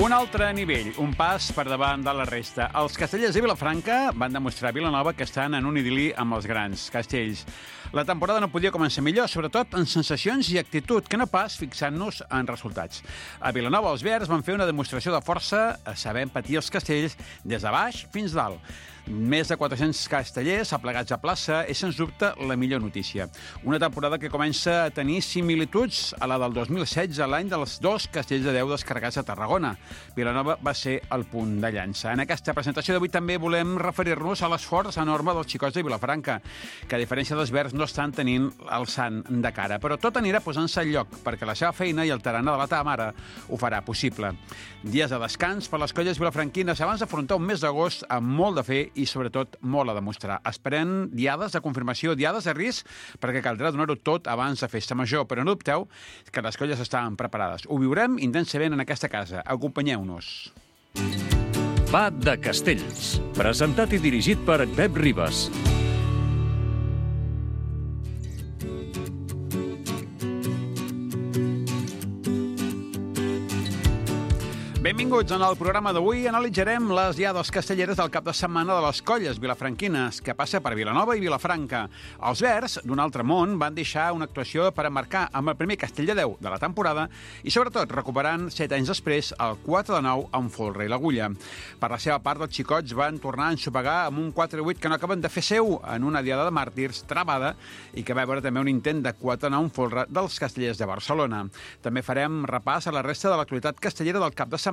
Un altre nivell, un pas per davant de la resta. Els castellers de Vilafranca van demostrar a Vilanova que estan en un idil·li amb els grans castells. La temporada no podia començar millor, sobretot en sensacions i actitud, que no pas fixant-nos en resultats. A Vilanova els verds van fer una demostració de força, sabent patir els castells des de baix fins dalt. Més de 400 castellers aplegats a plaça és, sens dubte, la millor notícia. Una temporada que comença a tenir similituds a la del 2016, l'any dels 2 castells de 10 descarregats a Tarragona. Vilanova va ser el punt de llança. En aquesta presentació d'avui també volem referir-nos a l'esforç enorme dels xicots de Vilafranca, que a diferència dels verds no estan tenint el sant de cara. Però tot anirà posant-se al lloc, perquè la seva feina i el tarannà de la teva mare ho farà possible. Dies de descans per les colles vilafranquines abans d'afrontar un mes d'agost amb molt de fe i, sobretot, molt a demostrar. Esperem diades de confirmació, diades de risc, perquè caldrà donar-ho tot abans de festa major. Però no dubteu que les colles estan preparades. Ho viurem intensament en aquesta casa. Acompanyeu-nos. Va de Castells, presentat i dirigit per Pep Ribas. Benvinguts. En el programa d'avui analitzarem les diades castelleres del cap de setmana de les colles vilafranquines, que passa per Vilanova i Vilafranca. Els verds, d'un altre món, van deixar una actuació per emmarcar amb el primer castell de 10 de la temporada i, sobretot, recuperant 7 anys després el 4 de 9 amb folre i l'agulla. Per la seva part, els xicots van tornar a ensopegar amb un 4-8 que no acaben de fer seu en una diada de màrtirs travada i que va veure també un intent de 4-9 amb folre dels castellers de Barcelona. També farem repàs a la resta de l'actualitat castellera del cap de setmana,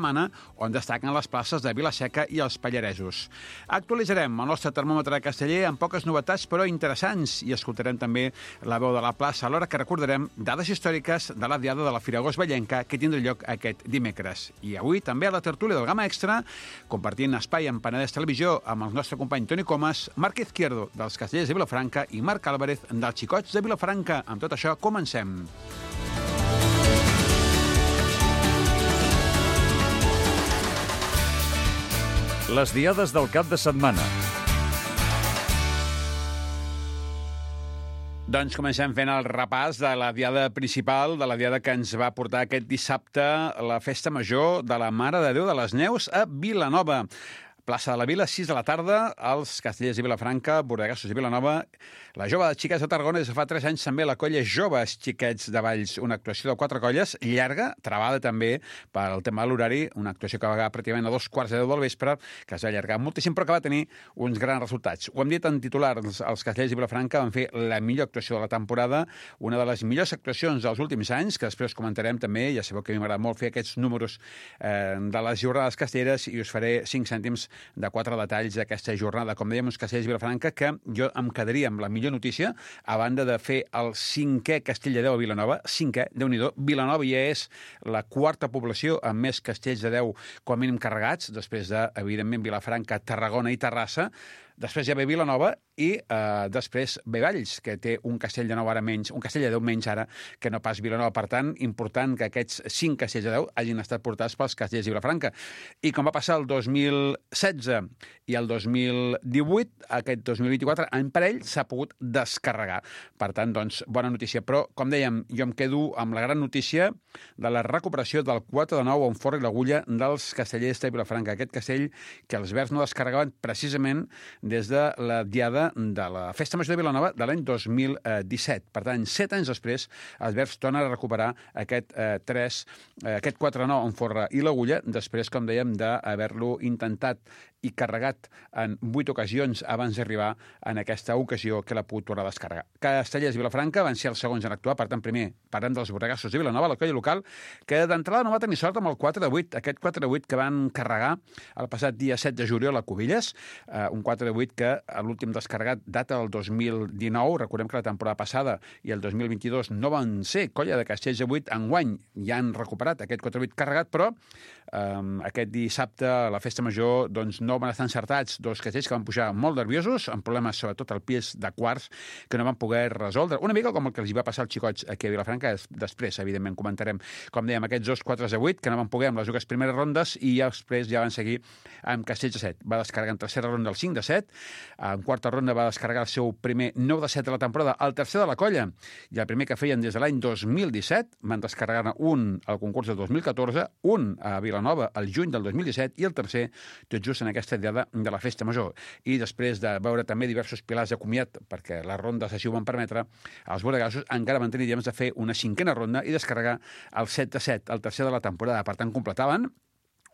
on destaquen les places de Vila-seca i els Pallaresos. Actualitzarem el nostre termòmetre casteller amb poques novetats però interessants i escoltarem també la veu de la plaça, alhora que recordarem dades històriques de la diada de la Fira Agost Vallenca que tindrà lloc aquest dimecres. I avui també a la tertúlia del Gamma Extra, compartint espai amb Penedès Televisió amb el nostre company Toni Comas, Marc Izquierdo dels castellers de Vilafranca i Marc Álvarez dels xicots de Vilafranca. Amb tot això, comencem. Les diades del cap de setmana. Doncs comencem fent el repàs de la diada principal, de la diada que ens va portar aquest dissabte la festa major de la Mare de Déu de les Neus a Vilanova. Plaça de la Vila, 6 de la tarda, els castellers de Vilafranca, bordegassos de Vilanova, la Jove de Xiquets de Tarragona, des de fa 3 anys també la colla Joves Xiquets de Valls, una actuació de 4 colles, llarga, travada també pel tema de l'horari, una actuació que va acabar pràcticament a 2:15 del vespre, que es va allargar moltíssim, però que va tenir uns grans resultats. Ho hem dit en titular, els castellers de Vilafranca van fer la millor actuació de la temporada, una de les millors actuacions dels últims anys, que després comentarem també, ja sabeu que a mi m'agrada molt fer aquests números de les jornades castelleres i us faré 5 cèntims de 4 detalls d'aquesta jornada. Com dèiem, uns castellers de Vilafranca que jo em quedaria amb la millor notícia a banda de fer el 5è castell de 10 a Vilanova. 5è, Déu-n'hi-do. Vilanova ja és la 4a població amb més castells de 10 com a mínim carregats, després de, evidentment, Vilafranca, Tarragona i Terrassa. Després ja ve Vilanova i després ve Valls, que té un castell de 9 ara menys, un castell de 10 menys ara que no pas Vilanova. Per tant, important que aquests 5 castells de 10 hagin estat portats pels castellers de Vilafranca. I com va passar el 2016 i el 2018, aquest 2024, en parell s'ha pogut descarregar. Per tant, doncs, bona notícia. Però, com dèiem, jo em quedo amb la gran notícia de la recuperació del 4 de 9 on forra i l'agulla dels castellers de Vilafranca. Aquest castell que els verds no descarregaven precisament des de la diada de la Festa Major de Vilanova de l'any 2017. Per tant, 7 anys després, els verds tornen a recuperar aquest 4-9 en forra i l'agulla, després, com dèiem, d'haver-lo intentat i carregat en 8 ocasions abans d'arribar en aquesta ocasió que l'ha pogut tornar a descarregar. Castellers i Vilafranca van ser els segons en actuar. Per tant, primer, parlem dels bordegassos de Vilanova, la colla local, que d'entrada no va tenir sort amb el 4-8, aquest 4-8 que van carregar el passat dia 7 de juliol a Cubilles, un 4-8 que a l'últim descarregat data del 2019. Recordem que la temporada passada i el 2022 no van ser colla de castells de 8. Enguany ja han recuperat aquest 4-8 carregat, però aquest dissabte a la Festa Major doncs no van estar encertats 2 castells que van pujar molt nerviosos, amb problemes sobretot al pies de quarts que no van poder resoldre. Una mica com el que els va passar als xicots aquí a Vilafranca, després, evidentment, comentarem, com dèiem, aquests 2 4-8 que no van poder amb les 2 primeres rondes i després ja van seguir amb castells de 7. Va descarregar en tercera ronda el 5-7, en quarta ronda va descarregar el seu primer 9-7 de la temporada, el tercer de la colla, i el primer que feien des de l'any 2017, van descarregar un al concurs del 2014, un a Vilanova Vilanova al juny del 2017 i el tercer tot just en aquesta diada de la Festa Major. I després de veure també diversos pilars de comiat, perquè les rondes així ho van permetre, els bordegassos encara van tenir temps de fer una cinquena ronda i descarregar el 7-7, el tercer de la temporada. Per tant, completaven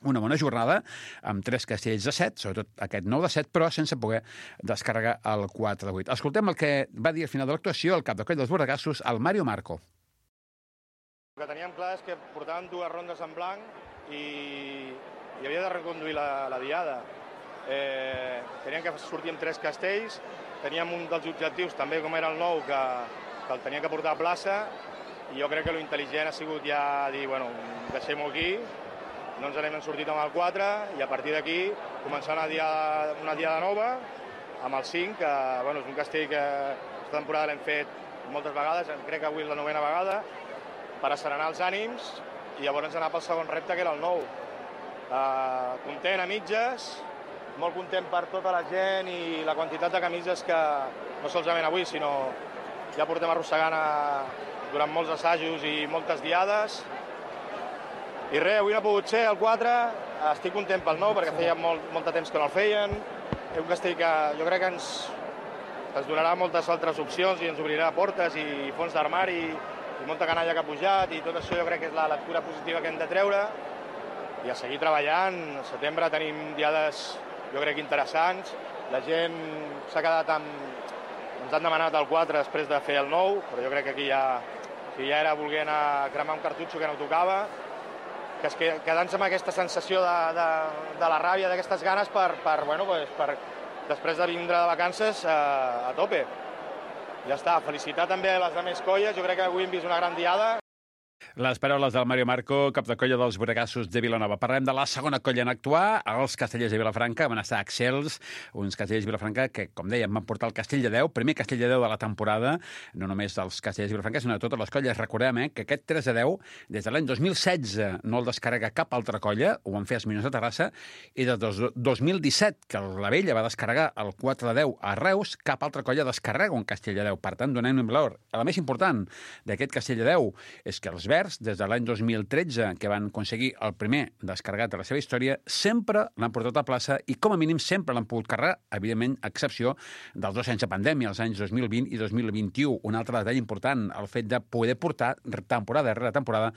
una bona jornada amb 3 castells de 7, sobretot aquest 9 de 7, però sense poder descarregar el 4 de 8. Escoltem el que va dir al final de l'actuació el cap de coll dels bordegassos, el Mario Marco. El que teníem clar és que portàvem 2 rondes en blanc i havia de reconduir la diada. Teníem que sortir amb 3 castells, teníem un dels objectius, també com era el 9, que el teníem que portar a plaça, i jo crec que l'intel·ligent ha sigut ja dir, bueno, deixem-ho aquí, no ens n'hem sortit amb el 4, i a partir d'aquí començar una diada nova, amb el 5, que bueno, és un castell que aquesta temporada l'hem fet moltes vegades, crec que avui és la 9ª vegada, per asserenar els ànims, i llavors anar pel segon repte, que era el 9. Content a mitges, molt content per tota la gent i la quantitat de camises que, no solament avui, sinó ja portem arrossegant durant molts assajos i moltes diades. I res, avui no ha pogut ser el 4, estic content pel 9 perquè feia molt de temps que no el feien. És un castell que jo crec que ens donarà moltes altres opcions i ens obrirà portes i fons d'armari i molta canalla que ha pujat, i tot això jo crec que és la lectura positiva que hem de treure i a seguir treballant. Al setembre tenim diades jo crec interessants, la gent s'ha quedat ens han demanat el 4 després de fer el 9, però jo crec que aquí ja era voler anar a cremar un cartutxo que no tocava, que és quedant-se amb aquesta sensació de la ràbia, d'aquestes ganes per després de vindre de vacances a tope. Ja està, felicitar també a les altres colles, jo crec que avui hem vist una gran diada. Les paraules del Mario Marco, cap de colla dels bordegassos de Vilanova. Parlem de la segona colla en actuar, els castellers de Vilafranca. Van estar excels, uns castellers de Vilafranca que, com dèiem, van portar el castell de 10, primer castell de 10 de la temporada, no només dels castellers de Vilafranca, sinó de totes les colles. Recordem que aquest 3 de 10, des de l'any 2016, no el descarrega cap altra colla, ho van fer els Minyons de Terrassa, i des del 2017, que la Vella va descarregar el 4 de 10 a Reus, cap altra colla descarrega un castell de 10. Per tant, donem un valor. La més important d'aquest castell de 10 és que els Verds, des de l'any 2013, que van aconseguir el primer descarregat de la seva història, sempre l'han portat a plaça i, com a mínim, sempre l'han pogut carregar, evidentment, a excepció dels 2 anys de pandèmia, els anys 2020 i 2021. Un altre detall important, el fet de poder portar temporada rere temporada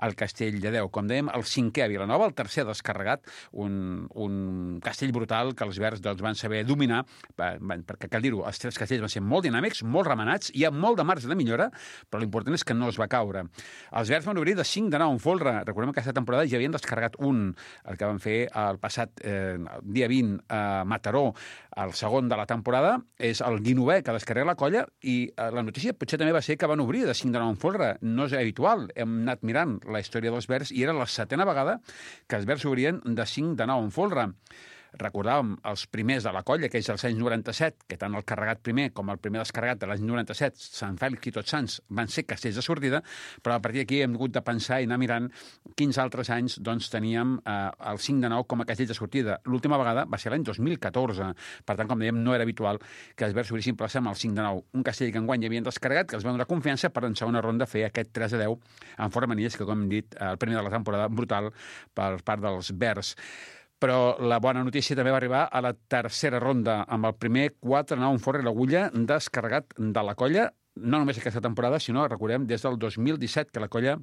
el castell de 10. Com dèiem, el 5è a Vilanova, el tercer descarregat, un castell brutal que els Verds van saber dominar, perquè, cal dir-ho, els 3 castells van ser molt dinàmics, molt remenats, hi ha molt de marge de millora, però l'important és que no es va caure. Els Verds van obrir de 5 de 9 en folre. Recordem que aquesta temporada ja havien descarregat un, el que van fer el passat dia 20 a Mataró, el segon de la temporada. És el 19è que descarrega la colla i la notícia potser també va ser que van obrir de 5 de 9 en folre. No és habitual. Hem anat mirant la història dels Verds i era la 7ª vegada que els Verds obrien de 5 de 9 en folre. Recordàvem els primers de la colla, que és els anys 97, que tant el carregat primer com el primer descarregat de l'any 97, Sant Fèlix i Tots Sants, van ser castells de sortida, però a partir d'aquí hem hagut de pensar i anar mirant quins altres anys teníem el 5 de 9 com a castell de sortida. L'última vegada va ser l'any 2014. Per tant, com dèiem, no era habitual que els Verds obrissin plaça amb el 5 de 9. Un castell que enguany havien descarregat, que els va donar confiança per en segona ronda fer aquest 3 de 10 en fora manies, que, com hem dit, el primer de la temporada brutal per part dels Verds. Però la bona notícia també va arribar a la tercera ronda, amb el primer 4 de 9 en fora i l'agulla descarregat de la colla, no només aquesta temporada, sinó, recordem, des del 2017, que la colla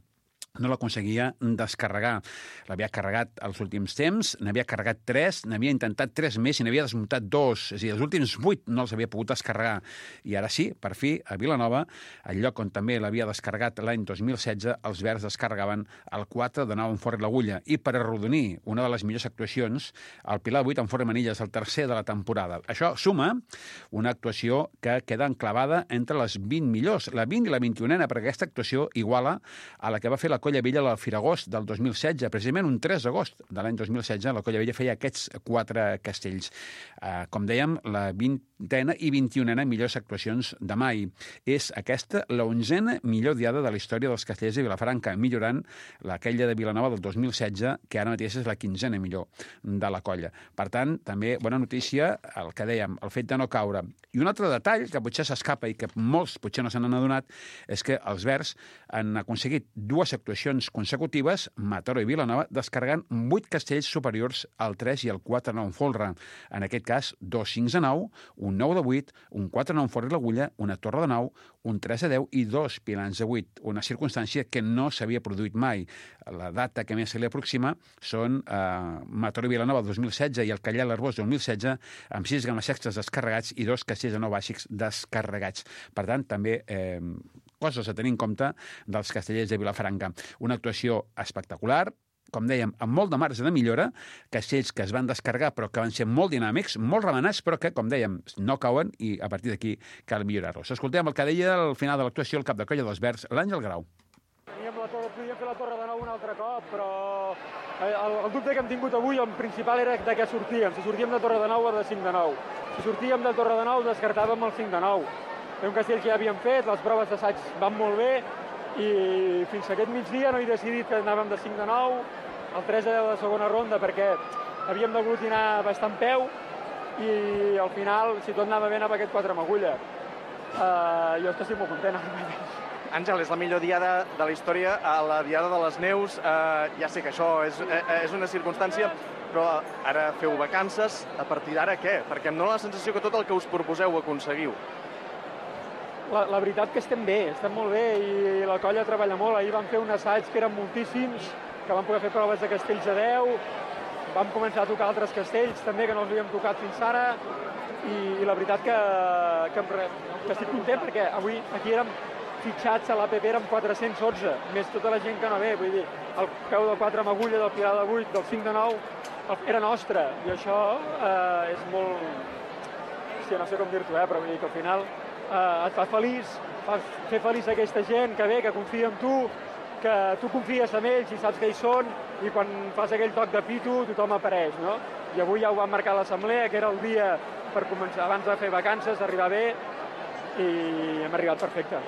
no l'aconseguia descarregar. L'havia carregat els últims temps, n'havia carregat 3, n'havia intentat 3 més i n'havia desmuntat 2. És a dir, els últims 8 no els havia pogut descarregar. I ara sí, per fi, a Vilanova, el lloc on també l'havia descarregat l'any 2016, els Verds descarregaven el 4 de 9 en fora i l'agulla. I per arrodonir una de les millors actuacions, el Pilar 8 en fora i manilles, el tercer de la temporada. Això suma una actuació que queda enclavada entre les 20 millors, la 20 i la 21ena, perquè aquesta actuació iguala a la que va fer la Colla Vella al Firagost del 2016, precisament un 3 d'agost de l'any 2016, la Colla Vella feia aquests 4 castells. Com dèiem, la 20 20a i 21a millors actuacions de mai. És aquesta la 11a millor diada de la història dels Castellers de Vilafranca, millorant aquella de Vilanova del 2016, que ara mateix és la 15a millor de la colla. Per tant, també bona notícia el que dèiem, el fet de no caure. I un altre detall que potser s'escapa i que molts potser no se n'han adonat és que els verds han aconseguit 2 actuacions consecutives, Mataró i Vilanova, descarregant 8 castells superiors al 3 i al 4-9 en folre. En aquest cas, 2 5 a 9, un 9 de 8, un 4-9 en folre i l'agulla, una torre de 9, un 3 a 10 i 2 pilans de 8, una circumstància que no s'havia produït mai. La data que més se li aproxima són Mataró i Vilanova 2016 i el Callar l'Arbós 2016, amb 6 games sextes descarregats i 2 castells de 9 bàsics descarregats. Per tant, també coses a tenir en compte dels Castellers de Vilafranca. Una actuació espectacular, com dèiem, amb molt de marge de millora, castells que es van descarregar però que van ser molt dinàmics, molt remenats, però que, com dèiem, no cauen i a partir d'aquí cal millorar-los. Escoltem el que deia al final de l'actuació el cap de colla dels Verds, l'Àngel Grau. Podíem fer la torre de nou un altre cop, però el dubte que hem tingut avui, el principal era de què sortíem. Si sortíem de torre de nou o de 5 de 9. Si sortíem de torre de nou, descartàvem el 5 de 9. Era un castell que ja havíem fet, les proves d'assaig van molt bé, i fins aquest migdia no he decidit que anàvem de 5 de 9, el 3 a 10 de segona ronda, perquè havíem d'aglutinar bastant peu, i al final, si tot anava bé, anava aquest 4 amb agulla. Jo estic molt content ara mateix. Àngel, és la millor diada de la història, a la diada de les neus. Ja sé que això és una circumstància, però ara feu vacances, a partir d'ara què? Perquè em dóna la sensació que tot el que us proposeu ho aconseguiu. La veritat que estem bé, estem molt bé, i la colla treballa molt. Ahir vam fer un assaig que eren moltíssims, que vam poder fer proves de castells a 10, vam començar a tocar altres castells també que no els havíem tocat fins ara, i la veritat que estic content perquè avui aquí érem fitxats a l'APP, érem 411, més tota la gent que no ve, vull dir, el peu del 4 amb agulla, del pilar de 8, del 5 de 9, era nostre, i això és molt... Hòstia, no sé com dir-t'ho, però vull dir que al final et fa feliç, fer feliç aquesta gent que ve, que confia en tu, que tu confies en ells i saps que hi són, i quan fas aquell toc de pito tothom apareix, no? I avui ja ho vam marcar a l'assemblea, que era el dia per començar, abans de fer vacances, d'arribar bé, i hem arribat perfecte.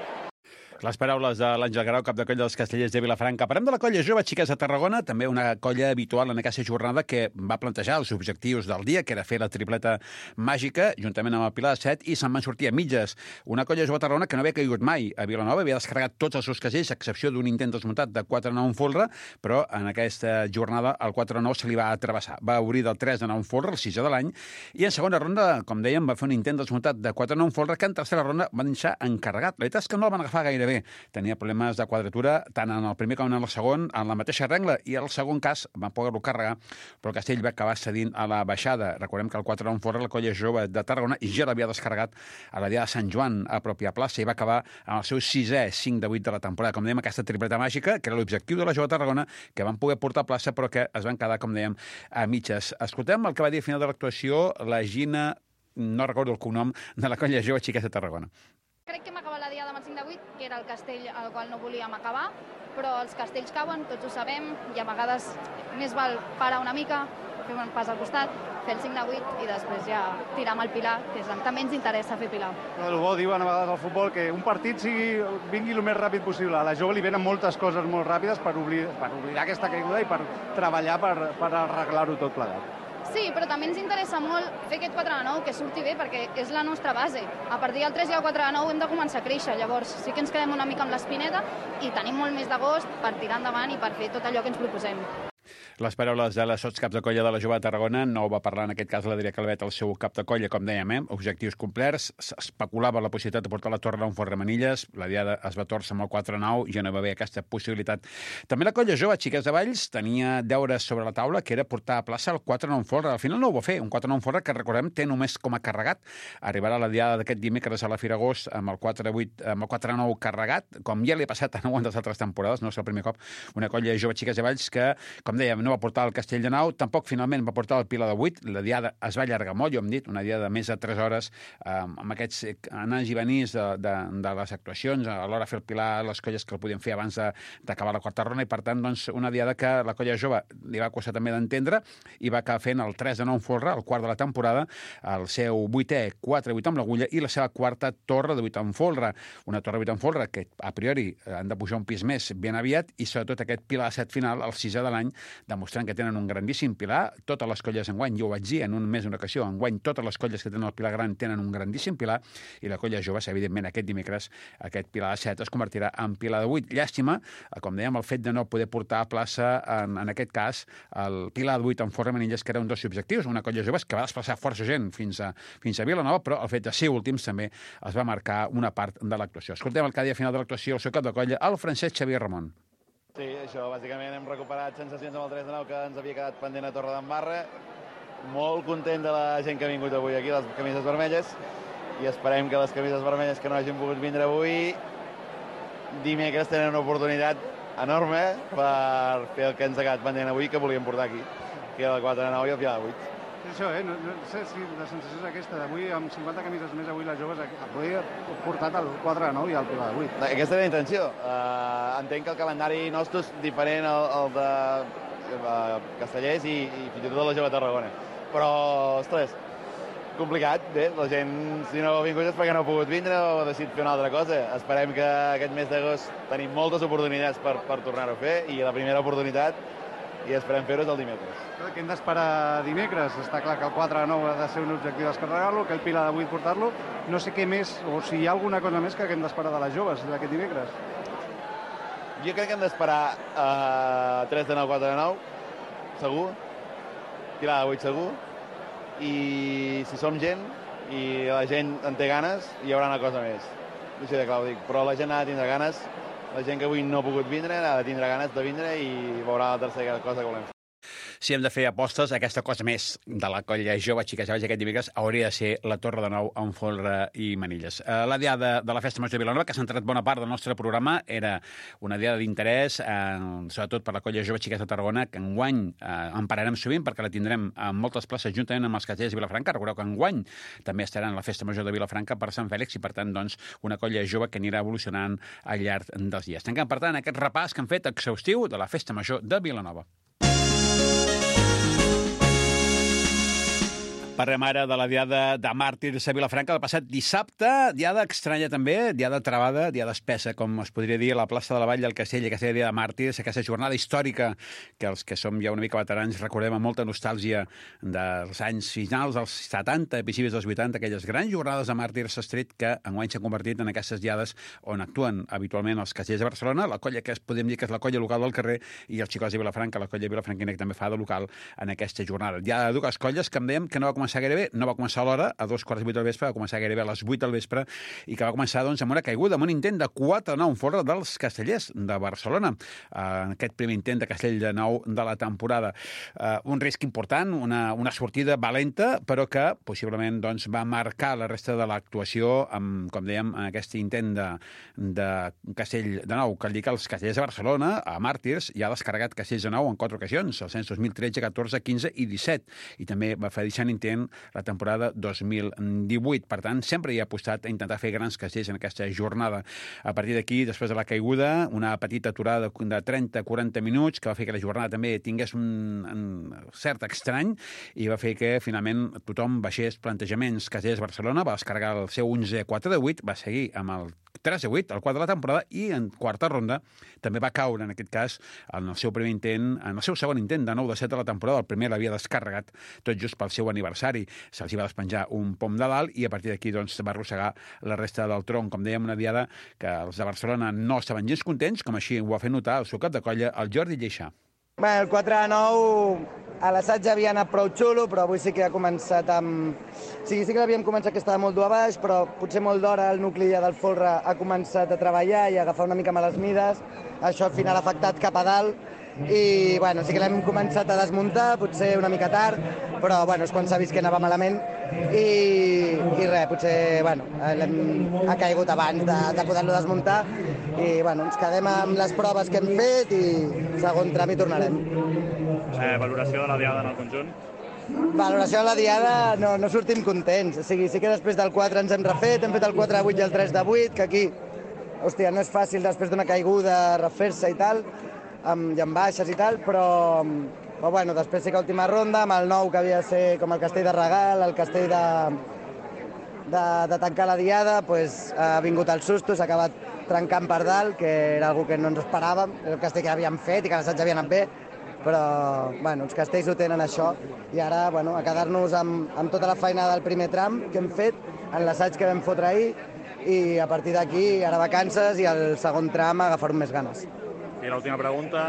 Les paraules de l'Àngel Grau, cap de colla dels Castellers de Vilafranca. Parlem de la colla jove Xiques de Tarragona, també una colla habitual en aquesta jornada que va plantejar els objectius del dia, que era fer la tripleta màgica, juntament amb el Pilar de 7, i se'n van sortir a mitges. Una colla jove de Tarragona que no havia caigut mai a Vilanova, havia descarregat tots els seus casells, a excepció d'un intent desmuntat de 4-9 en folre, però en aquesta jornada el 4-9 se li va travessar. Va obrir del 3-9 en folre, el 6è de l'any, i en segona ronda, com dèiem, va fer un intent desmuntat de 4-9 en folre, que en tercera ronda van deixar encarregat. La veritat és que no el van agafar gaire bé. Tenia problemes de quadratura tant en el primer com en el segon, en la mateixa regla, i el segon cas van poder-lo carregar, però el castell va acabar cedint a la baixada. Recordem que el 4 en fora la colla jove de Tarragona i ja l'havia descarregat a la dia de Sant Joan a pròpia plaça i va acabar amb el seu 6è 5 de 8 de la temporada. Com dèiem, aquesta tripleta màgica, que era l'objectiu de la jove de Tarragona, que van poder portar a plaça, però que es van quedar, com dèiem, a mitges. Escoltem el que va dir al final de l'actuació la Gina, no recordo el cognom, de la colla jove Xiques de Tarragona. Crec que hem acabat la diada amb el 5 de 8, que era el castell al qual no volíem acabar, però els castells cauen, tots ho sabem, i a vegades més val parar una mica, fer un pas al costat, fer el 5 de 8 i després ja tirar amb el pilar, que és el que també ens interessa fer pilar. El bo diuen a vegades al futbol que un partit vingui el més ràpid possible. A la jove li venen moltes coses molt ràpides per oblidar aquesta caiguda i per treballar per arreglar-ho tot plegat. Sí, però també ens interessa molt fer aquest 4 de 9, que surti bé, perquè és la nostra base. A partir del 3 i el 4 de 9 hem de començar a créixer. Llavors sí que ens quedem una mica amb l'espineta i tenim molt més d'agost per tirar endavant i per fer tot allò que ens proposem. Les paraules de les sotscaps de colla de la jove de Tarragona, no ho va parlar en aquest cas l'Adrià Calvet, el seu cap de colla, com dèiem, objectius complerts, s'especulava la possibilitat de portar la torre a un fort Remenilles, la diada es va torcer amb el 4-9, ja no va haver aquesta possibilitat. També la colla jove, Xiques de Valls, tenia deures sobre la taula, que era portar a plaça el 4-9 en folre. Al final no ho va fer, un 4-9 en folre que, recordem, té només com a carregat. Arribarà la diada d'aquest dimecres a la Firagós amb el 4-9 carregat, com ja li ha passat a no les altres temporades, no és el primer cop, una colla jove Xiques de Valls que, com dèiem, no va portar el Castelldefels, tampoc finalment va portar el Pilar de 8, la diada es va allargar molt, jo hem dit, una diada de més de 3 hores, amb aquests anants i venís de les actuacions, a l'hora de fer el Pilar, les colles que el podien fer abans d'acabar la quarta ronda, i per tant, doncs, una diada que la colla jove li va costar també d'entendre, i va acabar fent el 3 de 9 en folre, el quart de la temporada, el seu 8è 4-8 amb l'agulla i la seva quarta torre de 8 en folre. Una torre de 8 en folre que, a priori, han de pujar un pis més ben aviat, i sobretot aquest Pilar 7 final, el 6è de l'any, demostrant que tenen un grandíssim Pilar. Totes les colles enguany, jo ho vaig dir en més d'una ocasió, enguany totes les colles que tenen el Pilar gran tenen un grandíssim Pilar, i la colla jove, evidentment, aquest dimecres, aquest Pilar de 7 es convertirà en Pilar de 8. Llàstima, com dèiem, el fet de no poder portar a plaça, en aquest cas, el Pilar de 8 en folre Manilles, que era un dels objectius, una colla jove que va desplaçar força gent fins a Vilanova, però el fet de ser últims també es va marcar una part de l'actuació. Escoltem el cada dia final de l'actuació, el seu cap de colla, el Francesc Xavier Ramon. Sí, això, bàsicament hem recuperat sensacions amb el 3 de 9 que ens havia quedat pendent a Torredembarra. Molt content de la gent que ha vingut avui aquí, les camises vermelles, i esperem que les camises vermelles que no hagin pogut vindre avui dimecres tenen una oportunitat enorme per fer el que ens ha quedat pendent avui, que volíem portar aquí, que era el 4 de 9 i el Pilar de 8. Això, no sé si la sensació és aquesta, d'avui amb 50 camises més, avui les joves avui ha portat el 4 de 9 i el Pilar de 8. Aquesta era la intenció. Entenc que el calendari nostre és diferent al de Castellers i fins i tot de la jove Tarragona. Però, ostres, complicat, bé, la gent, si no ha vingut és perquè no ha pogut vindre o ha decidit fer una altra cosa. Esperem que aquest mes d'agost tenim moltes oportunitats per tornar-ho a fer, i la primera oportunitat, i esperem fer-ho, és el dimecres. Què hem d'esperar dimecres? Està clar que el 4 de 9 ha de ser un objectiu descarregar-lo, que el Pilar de 8 portar-lo. No sé què més, o si hi ha alguna cosa més que hem d'esperar de les joves d'aquest dimecres. Jo crec que hem d'esperar 3 de 9, 4 de 9, segur. Pilar de 8 segur. I si som gent i la gent en té ganes, hi haurà una cosa més. Així de clar ho dic, però la gent ha de tindre ganes, la gent que avui no ha pogut vindre ha de tindre ganes de vindre i veurà la tercera cosa que volem fer. Si hem de fer apostes, aquesta cosa més de la colla jove, xiques joves, aquest dimecres hauria de ser la Torre de Nou en folre i Manilles. La diada de la Festa Major de Vilanova, que s'ha entrat bona part del nostre programa, era una diada d'interès, sobretot per la colla jove xiques de Tarragona, que enguany en pararem sovint perquè la tindrem en moltes places juntament amb els Castellers de Vilafranca. Recordeu que enguany també estaran a la Festa Major de Vilafranca per Sant Fèlix, i per tant, doncs, una colla jove que anirà evolucionant al llarg dels dies. Tanquem, per tant, aquest repàs que han fet exhaustiu de la Festa Major de Vilanova. Parlem ara de la diada de màrtirs a Vilafranca del passat dissabte, diada estranya també, diada travada, diada espessa, com es podria dir, a la plaça de la Vall del Castell, aquesta diada de màrtirs, aquesta jornada històrica que els que som ja una mica veterans recordem amb molta nostàlgia dels anys finals dels 70, principis dels 80, aquelles grans jornades de màrtirs street que enguany s'han convertit en aquestes diades on actuen habitualment els Castellers de Barcelona, la colla que podem dir que és la colla local del carrer, i els xicots de Vilafranca, la colla vilafranquina que també fa de local en aquesta jornada. Diada de dues colles que em dèiem que no va començar gairebé, no va començar a l'hora, a 2:45 del vespre, va començar gairebé a les 8 del vespre, i que va començar doncs, amb una caiguda, amb un intent de 4-9 en folre dels Castellers de Barcelona. En aquest primer intent de Castell de Nou de la temporada. Un risc important, una sortida valenta, però que possiblement doncs, va marcar la resta de l'actuació amb, com dèiem, aquest intent de Castell de Nou, que indica els Castellers de Barcelona, a màrtirs, ja ha descarregat Castells de Nou en 4 ocasions, els anys 2013, 14, 15 i 17, i també va fer deixant intent la temporada 2018. Per tant, sempre hi ha apostat a intentar fer grans castells en aquesta jornada. A partir d'aquí, després de la caiguda, una petita aturada de 30-40 minuts que va fer que la jornada també tingués un cert estrany i va fer que, finalment, tothom baixés plantejaments. Castellers Barcelona va descarregar el seu 11 4 de 8, va seguir amb el 3 de 8, el quart de la temporada, i en quarta ronda també va caure, en aquest cas, en el seu primer intent, en el seu segon intent de 9 de 7 de la temporada. El primer l'havia descarregat tot just pel seu aniversari. Se'ls va despenjar un pom de dalt i a partir d'aquí doncs, va arrossegar la resta del tronc. Com dèiem, una diada que els de Barcelona no estaven gens contents, com així ho va fer notar el seu cap de colla, el Jordi Lleixà. Bé, el 4 de 9 a l'assaig havia anat prou xulo, però avui sí que ha començat amb... Sí que l'havíem començat que estava molt dur a baix, però potser molt d'hora el nucli ja del folre ha començat a treballar i a agafar una mica males mides. Això al final ha afectat cap a dalt i bueno, sí que l'hem començat a desmuntar, potser una mica tard, però bueno, és quan s'ha vist que anava malament i res, potser bueno, ha caigut abans de poder-lo desmuntar i bueno, ens quedem amb les proves que hem fet i segon tram hi tornarem. Valoració de la diada en el conjunt? Valoració de la diada, no sortim contents. O sigui, sí que després del 4 ens hem refet, hem fet el 4 de 8 i el 3 de 8, que aquí, hòstia, no és fàcil després d'una caiguda refer-se i tal, i amb baixes i tal, però bueno, després sí que última ronda, amb el 9 que havia de ser com el castell de regal, el castell de tancar la diada, pues, ha vingut el susto, s'ha acabat trencant per dalt, que era algo que no ens esperàvem, era el castell que havíem fet i que l'assaig havia anat bé, però bueno, els castells ho tenen això i ara bueno, a quedar-nos amb tota la feina del primer tram que hem fet en l'assaig que vam fotre ahir i a partir d'aquí ara vacances i el segon tram agafar més ganes. I l'última pregunta,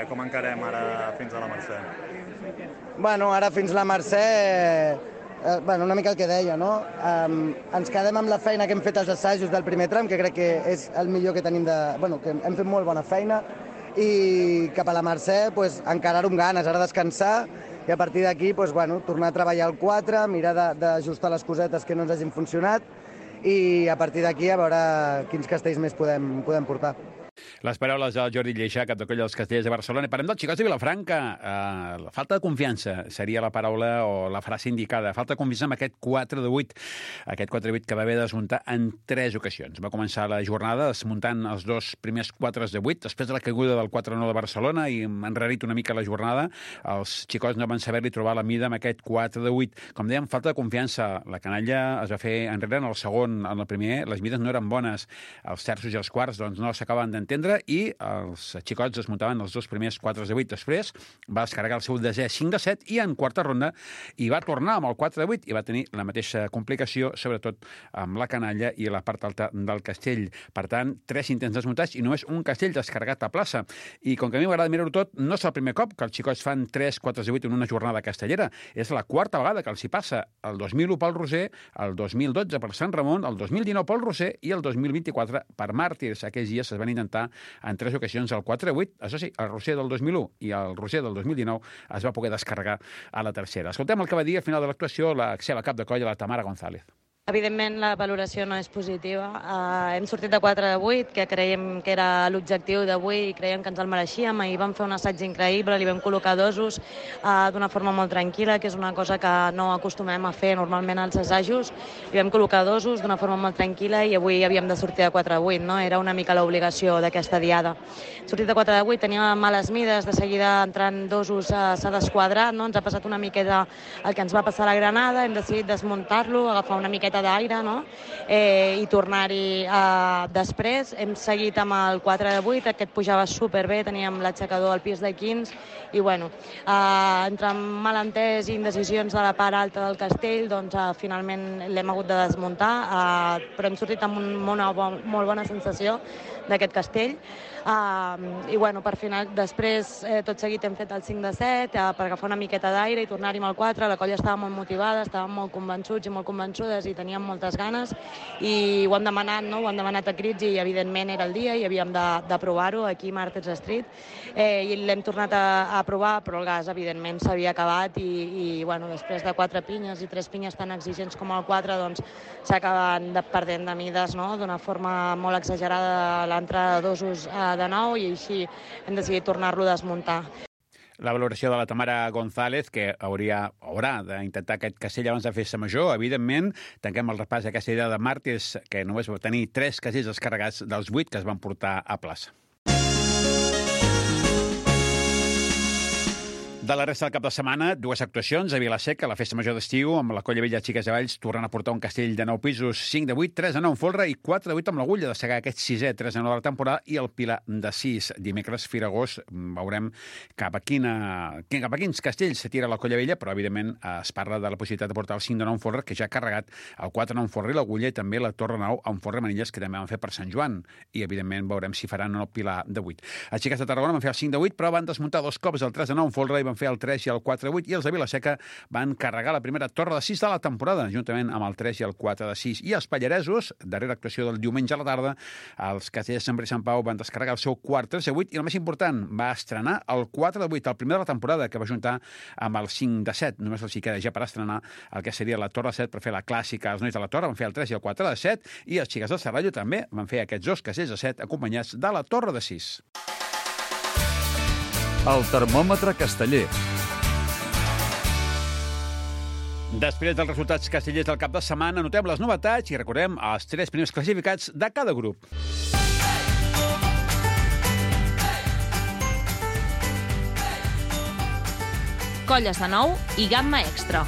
com encarem ara fins a la Mercè? Bueno, ara fins a la Mercè, una mica el que deia, no? Ens quedem amb la feina que hem fet als assajos del primer tram, que crec que és el millor que tenim que hem fet molt bona feina, i cap a la Mercè pues, encarar-ho amb ganes, ara descansar i a partir d'aquí pues, bueno, tornar a treballar el 4, mirar d'ajustar les cosetes que no ens hagin funcionat i a partir d'aquí a veure quins castells més podem portar. Les paraules del Jordi Lleixà, cap de colla dels Castellers de Barcelona. I parlem dels xicots de Vilafranca. La falta de confiança seria la paraula o la frase indicada. Falta de confiança amb aquest 4 de 8. Aquest 4 de 8 que va haver de desmuntar en 3 ocasions. Va començar la jornada desmuntant els 2 primers 4 de 8. Després de la caiguda del 4-9 de Barcelona i enrarit una mica la jornada, els xicots no van saber-li trobar la mida amb aquest 4 de 8. Com dèiem, falta de confiança. La canalla es va fer enrere en el segon. En el primer les mides no eren bones. Els terços i els quarts doncs, no s'acaben d'entendre i els xicots desmuntaven els 2 primers 4 de 8. Després va descarregar el seu desè 5 de 7 i en quarta ronda i va tornar amb el 4 de 8 i va tenir la mateixa complicació, sobretot amb la canalla i la part alta del castell. Per tant, 3 intents desmuntats i només un castell descarregat a plaça. I com que a mi m'agrada mirar-ho tot, no és el primer cop que els xicots fan 3 4 de 8 en una jornada castellera. És la quarta vegada que els hi passa. El 2001 pel Roser, el 2012 per Sant Ramon, el 2019 pel Roser i el 2024 per Màrtirs. Aquells dies es van intentar en 3 ocasions el 4 de 8. Això sí, el Roser del 2001 i el Roser del 2019 es va poder descarregar a la tercera. Escoltem el que va dir al final de l'actuació la seva cap de colla, la Tamara González. Evidentment, la valoració no és positiva. Hem sortit de 4 de 8, que creiem que era l'objectiu d'avui i creiem que ens el mereixíem. Ahir vam fer un assaig increïble, li vam col·locar dosos d'una forma molt tranquil·la, que és una cosa que no acostumem a fer normalment als assajos. Li vam col·locar dosos d'una forma molt tranquil·la i avui havíem de sortir de 4 de 8, no? Era una mica l'obligació d'aquesta diada. Sortit de 4 de 8, teníem males mides, de seguida entrant dosos s'ha desquadrat, no? Ens ha passat una miqueta el que ens va passar a la Granada, hem decidit desmuntar-lo, agafar una miqueta d'aire, no? I tornar-hi després. Hem seguit amb el 4 de 8, aquest pujava superbé, teníem l'aixecador al pis de 15 i bueno, entre malentès i indecisions de la part alta del castell, doncs finalment l'hem hagut de desmuntar, però hem sortit amb una molt bona sensació d'aquest castell. I bueno, per final, després tot seguit hem fet el 5 de 7 per agafar una miqueta d'aire i tornar-hi amb el 4. La colla estava molt motivada, estàvem molt convençuts i molt convençudes i teníem moltes ganes i ho hem demanat, no? Ho hem demanat a crits i evidentment era el dia i havíem de provar-ho aquí a Martyrs Street i l'hem tornat a provar, però el gas evidentment s'havia acabat i bueno, després de 4 pinyes i 3 pinyes tan exigents com el 4 doncs s'acaben perdent de mides, no? D'una forma molt exagerada l'entrada de dosos de nou i així hem decidit tornar-lo a desmuntar. La valoració de la Tamara González, que haurà d'intentar aquest castell abans de festa major. Evidentment, tanquem el repàs d'aquesta idea de Màrtirs, que només va tenir 3 castells descarregats dels 8 que es van portar a plaça. De la resta del cap de setmana, 2 actuacions a Vila-seca, la festa major d'estiu, amb la Colla Vella Xiques de Valls, tornant a portar un castell de 9 pisos, 5 de 8, 3 de 9 en folre i 4 de 8 amb l'Agulla, de segar aquest 6è, 3 de 9 de la temporada, i el Pilar de 6. Dimecres, Firagós, veurem cap a quins castells se tira la Colla Vella, però evidentment es parla de la possibilitat de portar el 5 de 9 en folre, que ja ha carregat el 4 de 9 en folre i l'Agulla, i també la Torre 9 en folre Manilles, que també van fer per Sant Joan, i evidentment veurem si faran o no el Pilar de 8. Els Xiques de Tarragona van fer el 5 de 8, però van desmuntar 2 cops el 3 de 9 en folre i van van fer el 3 i el 4-8, i els de Vilaseca van carregar la primera torre de 6 de la temporada, juntament amb el 3 i el 4-6. I els pallaresos, darrera actuació del diumenge a la tarda, els castellers de Sant Pere i Sant Pau van descarregar el seu quart 3-8, i el més important, va estrenar el 4-8, el primer de la temporada, que va juntar amb el 5-7. Només els hi queda ja per estrenar el que seria la Torre 7 per fer la clàssica. Els nois de la Torre van fer el 3 i el 4-7, i els xiques del Serrallo també van fer aquests dos castells de 7 acompanyats de la Torre de 6. El termòmetre casteller. Després dels resultats castellers del cap de setmana, notem les novetats i recordem els 3 primers classificats de cada grup. Colles de 9 i gamma extra.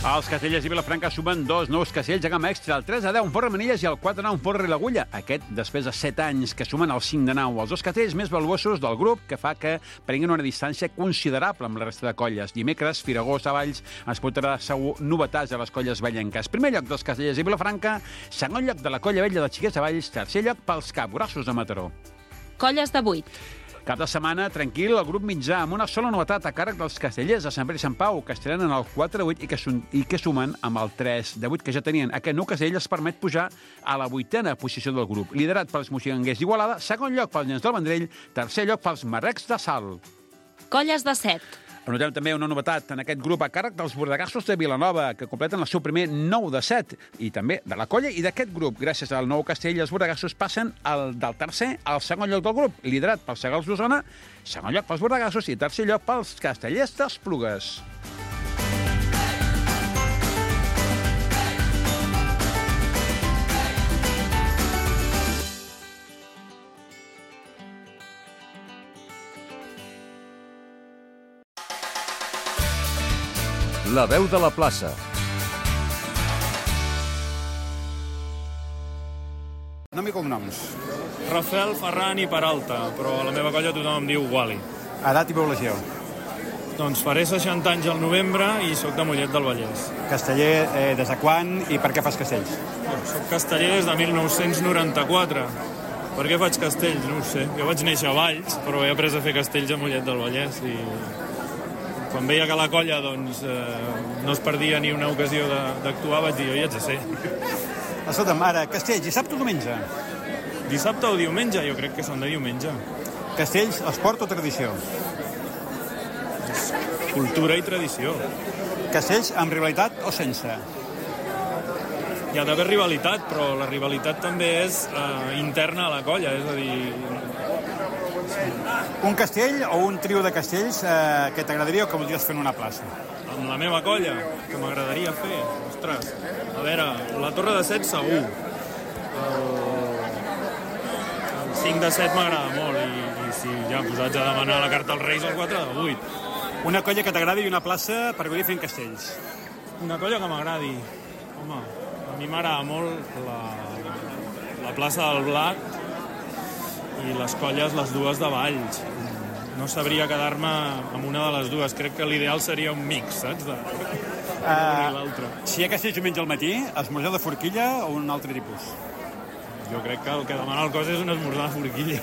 Els castellers i Vilafranca sumen 2 nous castells de gamma extra, el 3-10 en Forra Manilles i el 4-9 en Forra i l'Agulla. Aquest després de 7 anys que sumen el 5-9, els dos castells més valuosos del grup, que fa que prenguin una distància considerable amb la resta de colles. Dimecres, Firagós a Valls ens portarà segur novetats a les colles vellenques. Primer lloc dels castellers i Vilafranca, segon lloc de la colla vella dels xiquets de Valls, tercer lloc pels capgrossos de Mataró. Colles de 8. Cap de setmana, tranquil, el grup mitjà, amb una sola novetat a càrrec dels castellers de Sant Pere i Sant Pau, que estrenen el 4-8 i que sumen amb el 3-8 que ja tenien. Aquest nou castell els permet pujar a la 8a posició del grup, liderat pels moixigangers d'Igualada, segon lloc pels Llens del Vendrell, tercer lloc pels Marrecs de Salt. Colles de 7. Anotem també una novetat en aquest grup a càrrec dels bordegassos de Vilanova, que completen el seu primer 9 de 7, i també de la colla i d'aquest grup. Gràcies al nou castell, els bordegassos passen del tercer al segon lloc del grup, liderat pels Segals d'Osona, segon lloc pels bordegassos i tercer lloc pels castellers d'Esplugues. La veu de la plaça. Nom i cognoms. Rafael, Ferran i Peralta, però a la meva colla tothom em diu Wally. Edat i població. Doncs faré 60 anys al novembre i sóc de Mollet del Vallès. Casteller, des de quan i per què fas castells? Soc casteller des de 1994. Per què faig castells? No ho sé. Jo vaig néixer a Valls, però he après a fer castells a Mollet del Vallès i quan veia que la colla doncs, no es perdia ni una ocasió d'actuar, vaig dir, jo hi haig de ser. Escolta'm, ara, castells, dissabte o diumenge? Dissabte o diumenge? Jo crec que són de diumenge. Castells, esport o tradició? Cultura i tradició. Castells amb rivalitat o sense? Hi ha d'haver rivalitat, però la rivalitat també és interna a la colla, és a dir... Un castell o un trio de castells que t'agradaria o que voldries fer en una plaça? Amb la meva colla, que m'agradaria fer. Ostres, a veure, la Torre de 7 segur. El 5 de 7 m'agrada molt i si ja posats a demanar la carta als Reis, el 4 de 8. Una colla que t'agradi i una plaça per gaudir fent castells? Una colla que m'agradi. Home, a mi m'agrada molt la plaça del Blat i les colles, les dues de Valls. No sabria quedar-me amb una de les dues. Crec que l'ideal seria un mix, saps? De l'altre. Si hi ha castells diumenge al matí, esmorzar de forquilla o un altre tipus? Jo crec que el que demana el cos és un esmorzar de forquilla.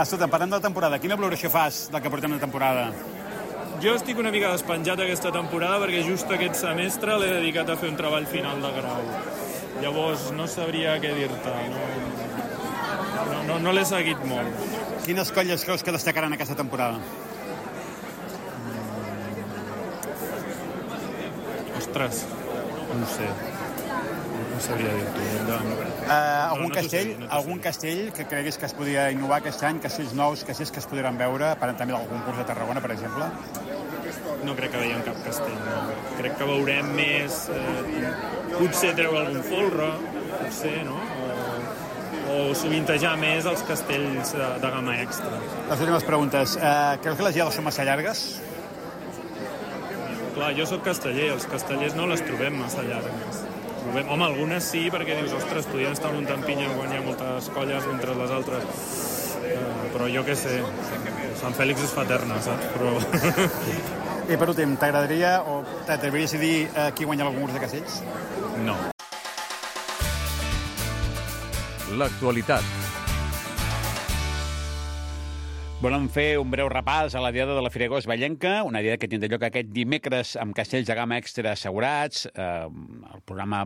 Escolta, parlant de la temporada, quina valoració fas del que portem de temporada? Jo estic una mica despenjat aquesta temporada perquè just aquest semestre l'he dedicat a fer un treball final de grau. Llavors no sabria què dir-te. No l'he seguit molt. Quines colles creus que destacaran aquesta temporada? Ostres, no ho sé. No sabria dir-t'ho. Algun castell que creguis que es podria innovar aquest any, castells nous, castells que es podran veure, parlant també del concurs de Tarragona, per exemple? No crec que veiem cap castell, no. Crec que veurem més... potser treure algun folre, potser, no? O sovintejar més els castells de gamma extra. Les últimes preguntes. Creus que les diades són massa llargues? Clar, jo sóc casteller, els castellers no les trobem massa llargues. Home, algunes sí, perquè dius, ostres, podien estar muntant pinya quan hi ha moltes colles entre les altres. Però jo què sé, Sant Fèlix es fa eterna, saps? Però... I per últim, t'agradaria o t'atreviries a dir qui guanya el concurs de castells? No. L'actualitat. Volem fer un breu repàs a la diada de la Firagost Vallenca, una diada que tindrà lloc aquest dimecres amb castells de gamma extra assegurats. El programa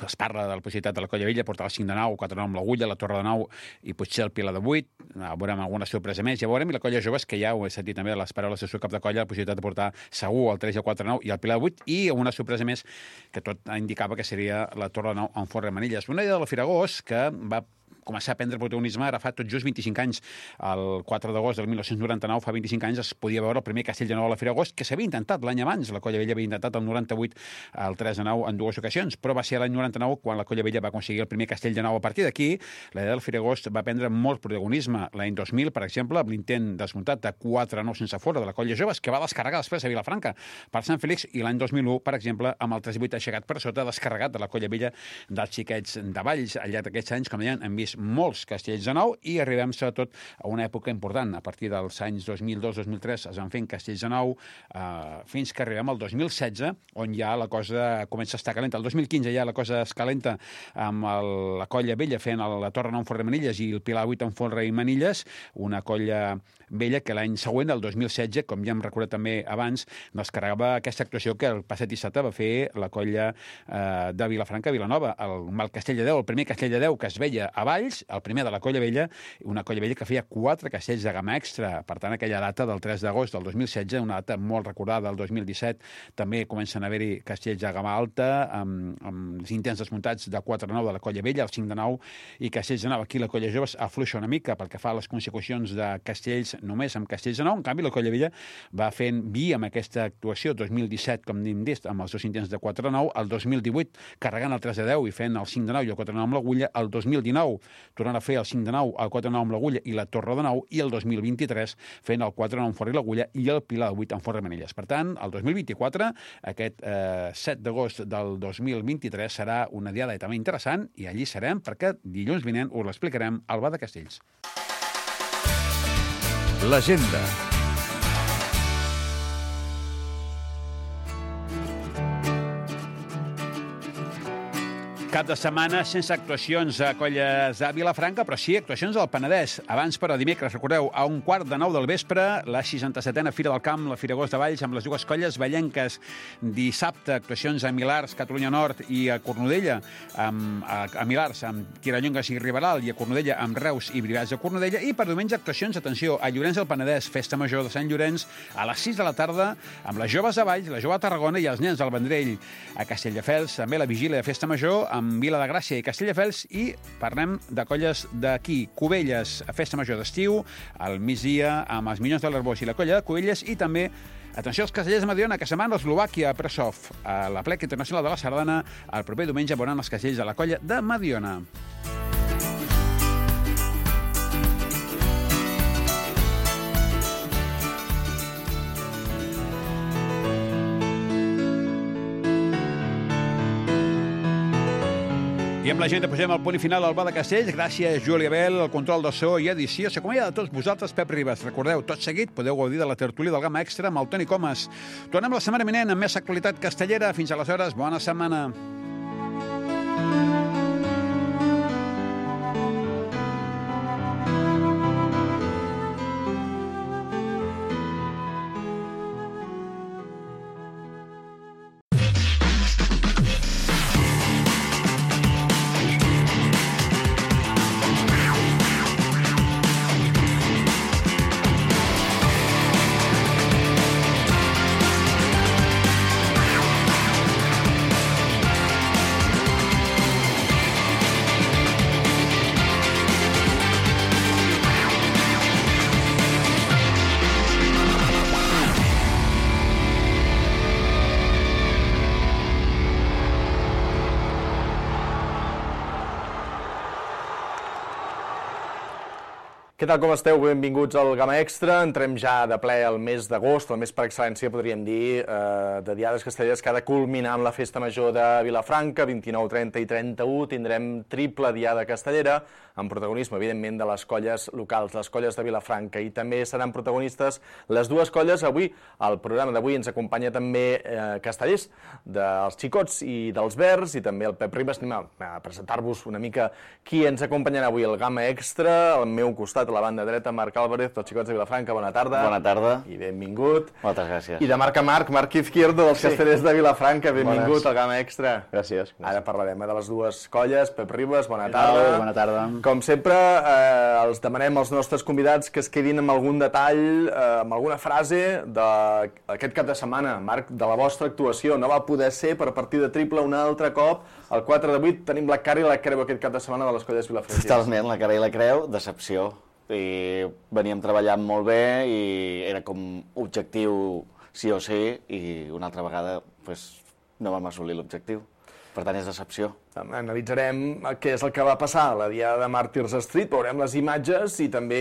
es parla de la possibilitat de la Colla Vella portar el 5 de 9, 4 de 9 amb l'Agulla, la Torre de 9 i potser el Pilar de 8. Veurem alguna sorpresa més. Ja veurem, i la Colla Joves, que ja ho he sentit també de les paraules del seu cap de colla, la possibilitat de portar segur el 3 i el 4 de 9 i el Pilar de 8, i una sorpresa més que tot indicava que seria la Torre de 9 amb Forre Manilles. Una diada de la Firagost que va començar a prendre protagonisme ara fa tot just 25 anys. El 4 d'agost del 1999, fa 25 anys, es podia veure el primer castell de nou a la Firagost, que s'havia intentat l'any abans. La Colla Vella havia intentat el 98 el 3 de 9 en dues ocasions, però va ser l'any 99 quan la Colla Vella va aconseguir el primer castell de nou. A partir d'aquí, la idea del Firagost va prendre molt protagonisme. L'any 2000, per exemple, amb l'intent desmuntat de 4 9 sense fora de la Colla Joves, que va descarregar després a Vilafranca per Sant Fèlix, i l'any 2001, per exemple, amb el 3-8 aixecat per sota, descarregat de la Colla Vella dels xiquets de Valls. Al llarg d'aquests anys, com deien, hem vist molts castells de nou i arribem sobretot a una època important. A partir dels anys 2002-2003 es van fent castells de nou fins que arribem al 2016, on ja la cosa comença a estar calenta. El 2015 ja la cosa es calenta amb la Colla Vella fent la Torre 9 en Forre Manilles i el Pilar 8 en Forre i Manilles, una colla vella que l'any següent, el 2016, com ja hem recordat també abans, descarregava aquesta actuació que el passat dissabte va fer la colla de Vilafranca a Vilanova, el Castell de Déu, el primer Castell de Déu que es veia a Valls, el primer de la Colla Vella, una Colla Vella que feia 4 castells de gamma extra. Per tant, aquella data del 3 d'agost del 2016, una data molt recordada del 2017, també comencen a haver-hi castells de gamma alta, amb els intents desmuntats de 4 de 9 de la Colla Vella, el 5 de 9, i castells de 9. Aquí la Colla Joves afluixa una mica pel que fa a les consecucions de castells només amb castells de 9. En canvi, la Colla Vella va fent vi amb aquesta actuació 2017, com hem dit, amb els dos intents de 4 de 9, el 2018 carregant el 3 de 10 i fent el 5 de 9 i el 4 de 9 amb l'Agulla, el 2019 tornant a fer el 5 de 9, el 4 de 9 amb l'Agulla i la Torre de 9, i el 2023 fent el 4 de 9 amb Forre i l'Agulla i el Pilar de 8 amb Forre Manilles. Per tant, el 2024, aquest 7 d'agost del 2023, serà una diada també interessant, i allí serem perquè dilluns vinent us l'explicarem al Bar de Castells. L'agenda. Cap de setmana sense actuacions a colles de Vilafranca, però sí actuacions al Penedès. Abans, però, dimecres, recordeu, a 8:45 del vespre, la 67a Fira del Camp, la Firagost de Valls, amb les dues colles vallenques. Dissabte, actuacions a Milars, Catalunya Nord, i a Cornudella, a Milars, amb Tirallongues i Riberal, i a Cornudella, amb Reus i Brigats de Cornudella. I per diumenge, actuacions, atenció, a Llorenç del Penedès, Festa Major de Sant Llorenç, a les 6 de la tarda, amb les joves de Valls, la jove de Tarragona i els nens del Vendrell. A Castelldefels, també la vigília de Festa Major, amb Vila de Gràcia i Castelldefels, i parlem de colles d'aquí, Cubelles, a Festa Major d'estiu, al migdia amb els Minyons de l'Arbós i la colla de Cubelles, i també, atenció, als castellers de Mediona, que se'n van a Eslovàquia, a Presov, a la Plec Internacional de la Sardana. El proper diumenge veuran els castellers de la colla de Mediona. I amb la gent posem el punt final al Bar de Castells. Gràcies, Júlia Bel, el control de so i edició. S'acomiada de tots vosaltres, Pep Ribas. Recordeu, tot seguit podeu gaudir de la tertúlia del Gamma Extra amb el Toni Comas. Tornem la setmana vinent amb més actualitat castellera. Fins aleshores, bona setmana. Què tal, com esteu? Benvinguts al Gamma Extra. Entrem ja de ple al mes d'agost, el mes per excel·lència, podríem dir, de diades castelleres que ha de culminar amb la Festa Major de Vilafranca, 29, 30 i 31. Tindrem triple diada castellera, amb protagonisme, evidentment, de les colles locals, les colles de Vilafranca, i també seran protagonistes les dues colles. Avui, al programa d'avui, ens acompanya també castellers dels Xicots i dels Verds, i també el Pep Ribas. Anem a presentar-vos una mica qui ens acompanyarà avui al Gamma Extra. Al meu costat, a la banda dreta, Marc Álvarez, dels Xicots de Vilafranca, bona tarda. Bona tarda. I benvingut. Moltes gràcies. I de Marc a Marc Izquierdo, dels Castellers de Vilafranca, benvingut al Gamma Extra. Gràcies. Ara parlarem de les dues colles. Pep Ribas, bona tarda. Bona tarda. Com sempre, els demanem als nostres convidats que es quedin amb algun detall, amb alguna frase d'aquest cap de setmana. Marc, de la vostra actuació, no va poder ser per partida triple un altre cop. El 4 de 8 tenim la cara i la creu aquest cap de setmana de les colles vilafranquines. Totalment, la cara i la creu, decepció. I veníem treballant molt bé i era com objectiu sí o sí i una altra vegada no vam assolir l'objectiu. Per tant, és decepció. Analitzarem què és el que va passar a la diada de Màrtirs Street, veurem les imatges i també,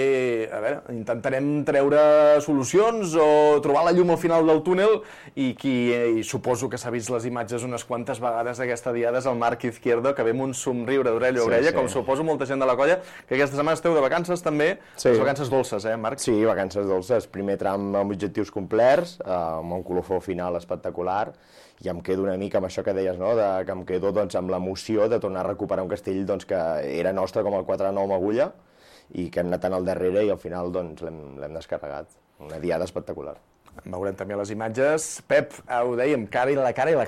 intentarem treure solucions o trobar la llum al final del túnel i suposo que s'ha vist les imatges unes quantes vegades d'aquesta diada és el Marc Izquierdo, que ve amb un somriure d'orella a orella, com suposo molta gent de la colla, que aquesta setmana esteu de vacances també, les vacances dolces, Marc? Sí, vacances dolces. Primer tram amb objectius complerts, amb un colofó final espectacular, i em quedo una mica amb això que deies, no? Que em quedo amb l'emoció de tornar a recuperar un castell que era nostre com el 4-9 amb Agulla i que hem anat tant al darrere i al final l'hem descarregat. Una diada espectacular. Veurem també les imatges. Pep, ho dèiem, cara i la creu.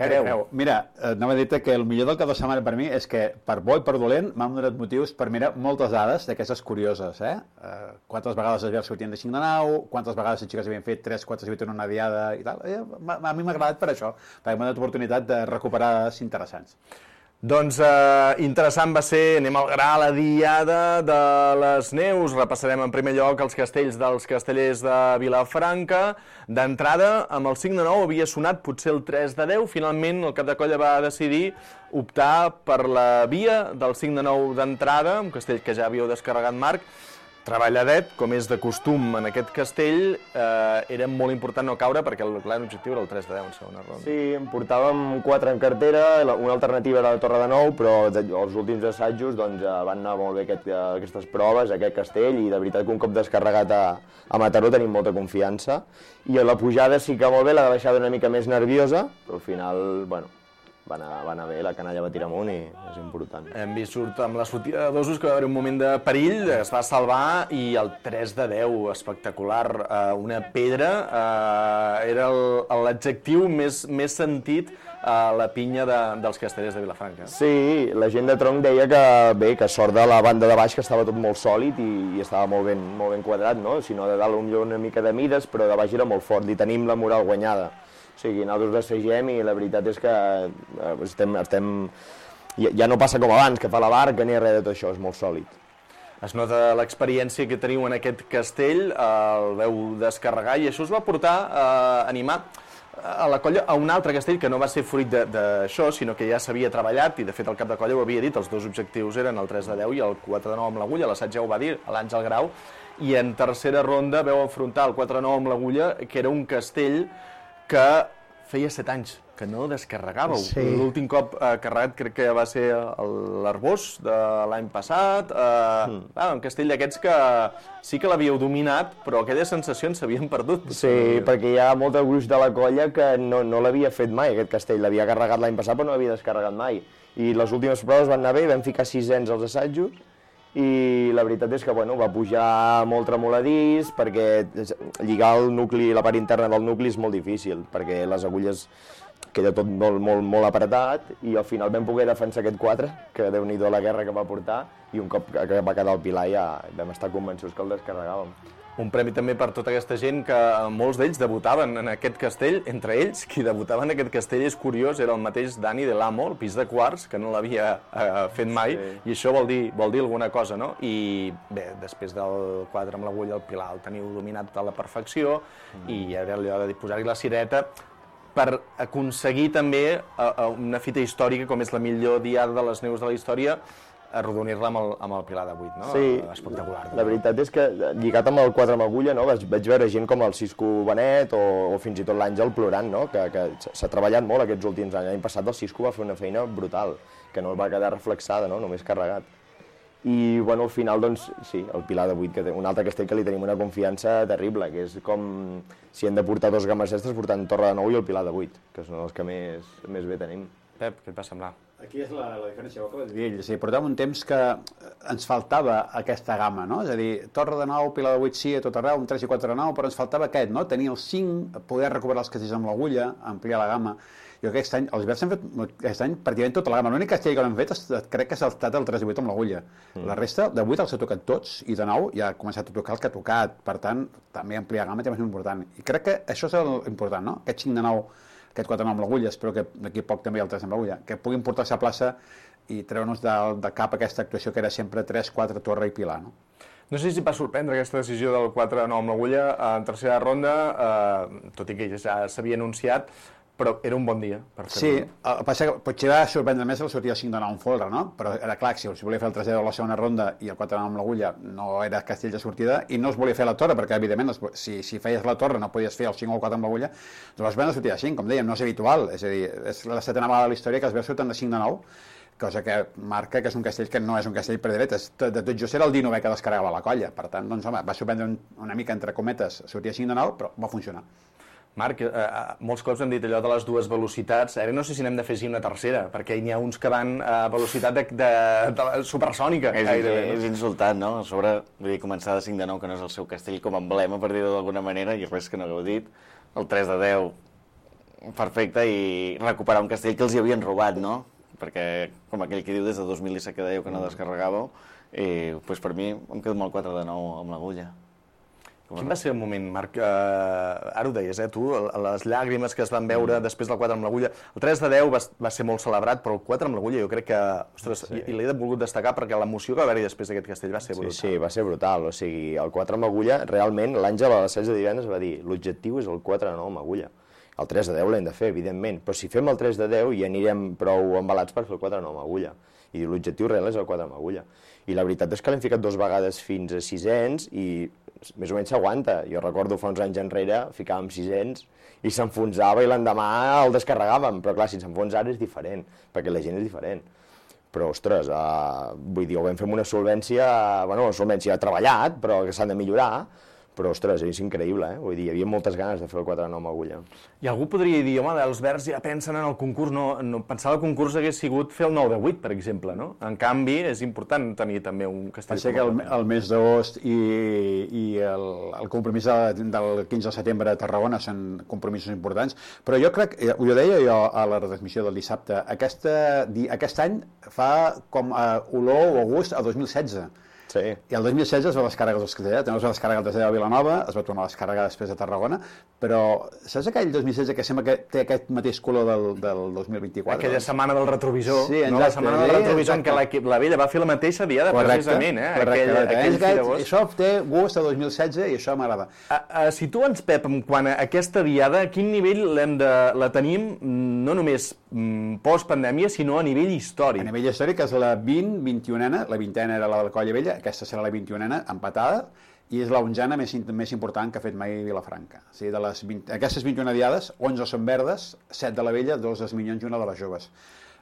Mira, anava a dir-te que el millor del cap de setmana per mi és que, per bo i per dolent, m'han donat motius per mirar moltes dades d'aquestes curioses, quantes vegades els Verds sortien de 5 de 9, quantes vegades les xiques havien fet 3, 4, 8 en una diada i tal. A mi m'ha agradat per això, perquè m'ha donat oportunitat de recuperar dades interessants. Doncs interessant va ser, anem al gra, la diada de les Neus. Repassarem en primer lloc els castells dels Castellers de Vilafranca. D'entrada, amb el 5 de 9 havia sonat potser el 3 de 10. Finalment, el cap de colla va decidir optar per la via del 5 de 9 d'entrada, un castell que ja havíeu descarregat, Marc. Treballadet, com és de costum en aquest castell, era molt important no caure perquè l'objectiu era el 3 de 10 en segona ronda. Sí, en portàvem 4 en cartera, una alternativa era la Torre de Nou, però els últims assajos van anar molt bé aquestes proves, aquest castell, i de veritat que un cop descarregat a Mataró tenim molta confiança. I a la pujada sí que molt bé, la baixada una mica més nerviosa, però al final, va anar bé, la canalla va tirar amunt i és important. Hem vist amb la sortida de dosos que va haver un moment de perill, es va salvar i el 3 de 10, espectacular, una pedra, era l'adjectiu més sentit a la pinya dels Castellers de Vilafranca. Sí, la gent de tronc deia que sort de la banda de baix que estava tot molt sòlid i estava molt ben quadrat, no? Si no, de dalt una mica de mides, però de baix era molt fort i tenim la moral guanyada. O sigui, nosaltres assagem i la veritat és que ja no passa com abans, que fa la barca ni res de tot això, és molt sòlid. Es nota l'experiència que teniu en aquest castell, el veu descarregar i això us va portar a animar a la colla a un altre castell que no va ser fruit d'això, sinó que ja s'havia treballat i de fet el cap de colla ho havia dit, els dos objectius eren el 3 de 10 i el 4 de 9 amb l'Agulla, l'assaig ja ho va dir, l'Àngel Grau, i en tercera ronda veu enfrontar el 4 de 9 amb l'Agulla, que era un castell que feia 7 anys que no descarregàveu. Sí. L'últim cop carregat crec que va ser l'Arbós de l'any passat, un castell d'aquests que sí que l'havíeu dominat, però aquelles sensacions s'havien perdut. Sí, perquè hi ha molt de gruix de la colla que no l'havia fet mai, aquest castell. L'havia carregat l'any passat però no l'havia descarregat mai. I les últimes proves van anar bé, vam ficar 6ens als assajos, i la veritat és que va pujar molt tremoladís perquè lligar el nucli, la part interna del nucli és molt difícil perquè les agulles queda tot molt apretat i al final vam poder defensar aquest 4, que Déu-n'hi-do la guerra que va portar, i un cop que va quedar el pilar ja vam estar convençuts que el descarregàvem. Un premi també per tota aquesta gent que molts d'ells debutaven en aquest castell. Entre ells, qui debutava en aquest castell és curiós, era el mateix Dani de l'Amo, el pis de quarts, que no l'havia fet mai, i això vol dir alguna cosa, no? I bé, després del 4 amb l'Agulla, el Pilar el teniu dominat a la perfecció, i era allò de posar-hi la cireta per aconseguir també una fita històrica com és la millor diada de les Neus de la història, arrodonir-la amb el Pilar de 8, no? Sí, espectacular. La veritat és que, lligat amb el 4 amb Agulla, no? Vaig veure gent com el Cisco Benet o fins i tot l'Àngel plorant, no? Que s'ha treballat molt aquests últims anys. L'any passat el Cisco va fer una feina brutal, que no va quedar reflexada, no? Només carregat. I, al final, doncs, sí, el Pilar de 8, que té un altre castell que li tenim una confiança terrible, que és com si hem de portar dos gammes extres portant Torre de 9 i el Pilar de 8, que són els que més bé tenim. Pep, què et va semblar? Aquí és la diferència, el que vaig dir ell. És a dir, portàvem un temps que ens faltava aquesta gamma, no? És a dir, Torre de 9, Pilar de 8 sí, a tot arreu, un 3 i 4 de 9, però ens faltava aquest, no? Tenir el 5, poder recuperar els castells amb l'agulla, ampliar la gamma. Jo aquest any, els Verds han fet aquest any pràcticament tota la gamma. L'únic castell que no han fet crec que ha estat el 3 i 8 amb l'agulla. La resta, de 8 els ha tocat tots, i de 9 ja ha començat a tocar el que ha tocat. Per tant, també ampliar gamma també és important. I crec que això és l'important, no? Aquest 5 de 9, aquest 4 de 9 amb l'agulla, espero que d'aquí poc també el 3 amb l'agulla, que puguin portar-se a plaça i treure'ns de cap aquesta actuació que era sempre 3, 4, Torre i Pilar, no? No sé si va sorprendre aquesta decisió del 4-9 amb l'agulla en tercera ronda, tot i que ja s'havia anunciat, però era un bon dia per fer-ho. Sí, el que passa que potser va sorprendre més el sortir el 5 de 9 en folre, no? Però era clar que si volia fer el 3 de 10 a la segona ronda i el 4 de 9 amb l'agulla no era castell de sortida i no es volia fer la torre, perquè evidentment si feies la torre no podies fer el 5 o el 4 amb l'agulla, doncs es van sortir de 5, com dèiem, no és habitual, és a dir, és la setena vegada de la història que es veu surten de 5 de 9, cosa que marca que és un castell que no és un castell per dretes. De tot just era el 19è que descarregava la colla, per tant, doncs, home, va sorprendre una mica entre cometes, sortia 5 de 9, però va funcionar. Marc, molts cops hem dit allò de les dues velocitats, ara no sé si n'hem de fer una tercera, perquè n'hi ha uns que van a velocitat de supersònica. És insultant, no? A sobre, vull dir, començar de 5 de 9, que no és el seu castell, com a emblema, per dir-ho d'alguna manera, i res que no hagueu dit. El 3 de 10, perfecte, i recuperar un castell que els hi havien robat, no? Perquè, com aquell que diu, des de 2017 que dèieu que no descarregàveu, doncs per mi em quedo amb el 4 de 9 amb l'agulla. Quin va ser el moment, Marc? Ara ho deies, tu, les llàgrimes que es van veure després del 4 amb l'agulla. El 3 de 10 va ser molt celebrat, però el 4 amb l'agulla jo crec que... Ostres, i l'he volgut destacar perquè l'emoció que va haver-hi després d'aquest castell va ser brutal. Sí, va ser brutal. O sigui, el 4 amb agulla, realment, l'Àngel a les 16 de divendres va dir l'objectiu és el 4 de 9 amb agulla. El 3 de 10 l'hem de fer, evidentment, però si fem el 3 de 10 ja anirem prou embalats per fer el 4 de 9 amb agulla. I l'objectiu real és el 4 amb agulla. I la veritat és que l'hem ficat 2 vegades fins a 600 i més o menys s'aguanta. Jo recordo fa uns anys enrere, ficàvem 600 i s'enfonsava i l'endemà el descarregàvem. Però clar, si s'enfonsa ara és diferent, perquè la gent és diferent. Però, ostres, vull dir, ho vam fer amb una solvència, bueno, una solvència treballat, però que s'han de millorar. Però, ostres, és increïble, eh? Vull dir, hi havia moltes ganes de fer el 4 de 9 amb agulla. I algú podria dir, home, els Verds ja pensen en el concurs, no pensar el concurs hagués sigut fer el 9 de 8, per exemple, no? En canvi, és important tenir també un castell. Passa que el mes d'agost i el compromís del 15 de setembre a Tarragona són compromisos importants, però jo crec, ho deia jo a la retransmissió del dissabte, aquest any fa com olor o gust a 2016. Sí. I el 2016 es va descarregar els castellers, també es va descarregar el 3 de Vilanova, es va tornar a descarregar després a Tarragona, però saps aquell 2016 que sembla que té aquest mateix color del 2024? Aquella setmana del retrovisor, sí, no? La setmana del retrovisor en què la Vella va fer la mateixa diada, precisament, Això té gust a 2016 i això m'agrada. Situa'ns, Pep, quant a aquesta diada, a quin nivell la tenim, no només post-pandèmia, sinó a nivell històric? A nivell històric és la 20-21ena, la 20ena era la de la Colla Vella, aquesta serà la 21ena, empatada, i és la 11ena més important que ha fet mai Vilafranca. O sigui, aquestes 21 diades, 11 són verdes, 7 de la Vella, 2 dels Minyons i una de les joves.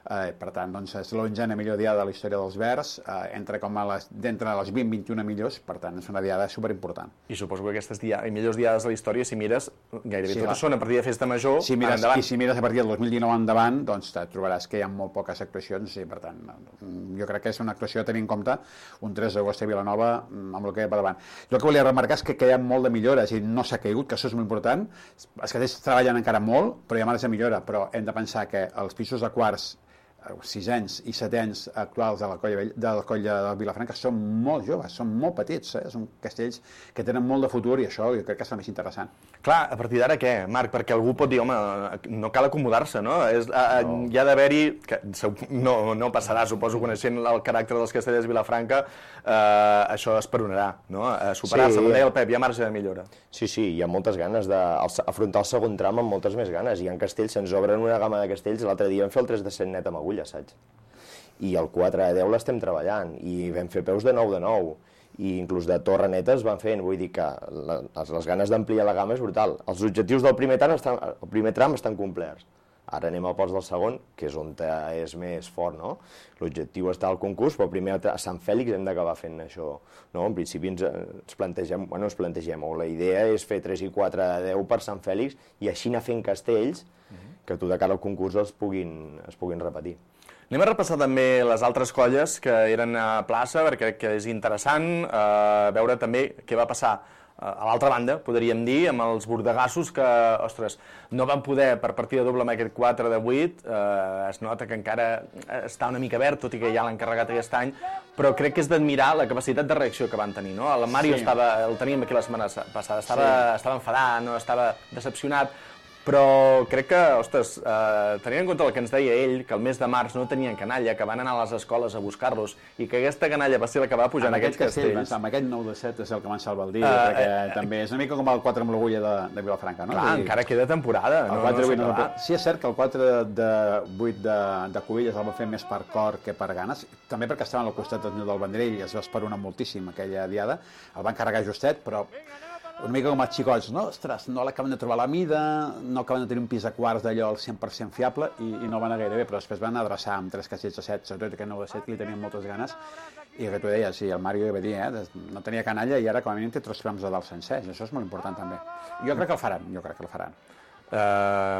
Per tant, doncs, és l'11a millor diada de la història dels Verds, d'entre les 20-21 millors, per tant, és una diada superimportant. I suposo que aquestes millors diades de la història, si mires, gairebé totes són a partir de festa major, endavant. I si mires a partir del 2019 endavant, doncs trobaràs que hi ha molt poques actuacions, i per tant, jo crec que és una actuació a tenir en compte un 3 d'agost a Vilanova amb el que hi ha per davant. Jo el que volia remarcar és que hi ha molt de millores i no s'ha caigut, que això és molt important. Els castells treballen encara molt, però hi ha marge de millora, però hem de pensar que els pisos de quarts 6ens i 7ens actuals de la colla de Vilafranca són molt joves, són molt petits, són castells que tenen molt de futur i això jo crec que és el més interessant. Clar, a partir d'ara què, Marc? Perquè algú pot dir, home, no cal acomodar-se, no? Hi ha d'haver-hi, que no passarà, suposo, coneixent el caràcter dels castellers de Vilafranca, això esperonarà, no? Superar-se, com deia el Pep, hi ha marge de millora. Sí, hi ha moltes ganes d'afrontar el segon tram amb moltes més ganes. Hi ha castells, se'ns obren una gamma de castells, l'altre dia vam fer el 3 de 7 net amb agulla, saps? I el 4 de 10 l'estem treballant, i vam fer peus de 9 de 9, i inclús de torre neta es van fent, vull dir que les ganes d'ampliar la gamma és brutal. Els objectius del primer tram estan complerts. Ara anem al pols del segon, que és on és més fort, no? L'objectiu està al concurs, però primer a Sant Fèlix hem d'acabar fent això, no? En principi ens plantegem, o la idea és fer 3 i 4 de 10 per Sant Fèlix i així anar fent castells que tu de cara al concurs es puguin repetir. Anem a repassar també les altres colles que eren a plaça, perquè crec que és interessant veure també què va passar a l'altra banda, podríem dir, amb els bordegassos que, ostres, no van poder per partida doble amb aquest 4 de 8, es nota que encara està una mica verd, tot i que ja l'han carregat aquest any, però crec que és d'admirar la capacitat de reacció que van tenir, no? El Mario el teníem aquí la setmana passada, estava enfadat, no estava decepcionat, però crec que, ostres, tenint en compte el que ens deia ell, que el mes de març no tenien canalla, que van anar a les escoles a buscar-los, i que aquesta canalla va ser la que va pujar en aquests castells. Amb aquest 9 de 7 és el que van salvar el dia, perquè també és una mica com el 4 amb l'Agulla de Vilafranca, no? Clar, encara queda temporada. Sí, és cert que el 4 de 8 de Cubelles el va fer més per cor que per ganes, també perquè estaven al costat del Vendrell i es va esperonar moltíssim aquella diada, el van carregar justet, però una mica com els xicots, no? Ostres, no l'acaben de trobar la mida, no acaben de tenir un pis de quarts d'allò al 100% fiable i no van anar gaire bé, però després van adreçar amb 3 castells de 7, sobretot aquest 9 de 7, que li tenien moltes ganes, i que tu deies, sí, el Mario va dir, no tenia canalla i ara com a mínim té 3 trams de dalt sencers, i això és molt important també. Jo crec que el faran,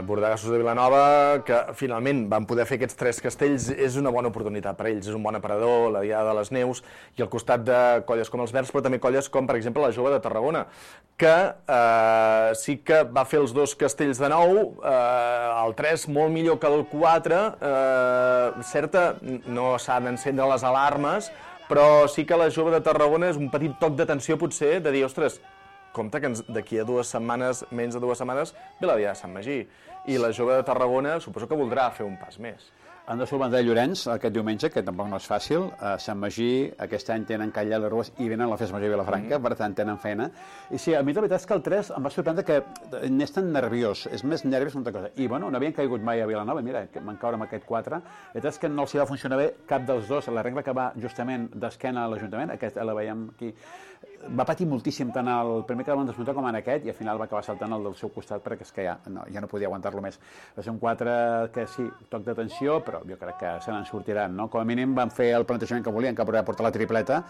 Bordegassos de Vilanova, que finalment van poder fer aquests 3 castells, és una bona oportunitat per ells, és un bon aparador, la Diada de les Neus, i al costat de colles com els Verds, però també colles com, per exemple, la Jove de Tarragona, que sí que va fer els 2 castells de 9, el 3 molt millor que el 4, certa, no s'ha d'encendre les alarmes, però sí que la Jove de Tarragona és un petit toc d'atenció, potser, de dir, ostres, compte que d'aquí a 2 setmanes, menys de 2 setmanes, ve la Diada de Sant Magí. I la Jove de Tarragona suposo que voldrà fer un pas més. Han de solventar Llorenç aquest diumenge, que tampoc no és fàcil. A Sant Magí aquest any tenen Calla les Rues i venen a la Festa Major de Vilafranca, per tant tenen feina. I sí, a mi la veritat és que el 3 em va sorprendre que n'és tan nerviós, és més nerviós que una altra cosa. I bueno, no havien caigut mai a Vilanova, mira, que van caure amb aquest 4. La veritat és que no els hi va funcionar bé cap dels dos. La regla que va justament d'esquena a l'Ajuntament, aquesta la veiem aquí, va patir moltíssim tant el primer que van desmuntar com en aquest i al final va acabar saltant el del seu costat perquè és que ja no podia aguantar-lo més. Va ser un 4 que sí, toc d'atenció, però jo crec que se n'en sortiran, no? Com a mínim van fer el plantejament que volien, que podia portar la tripleta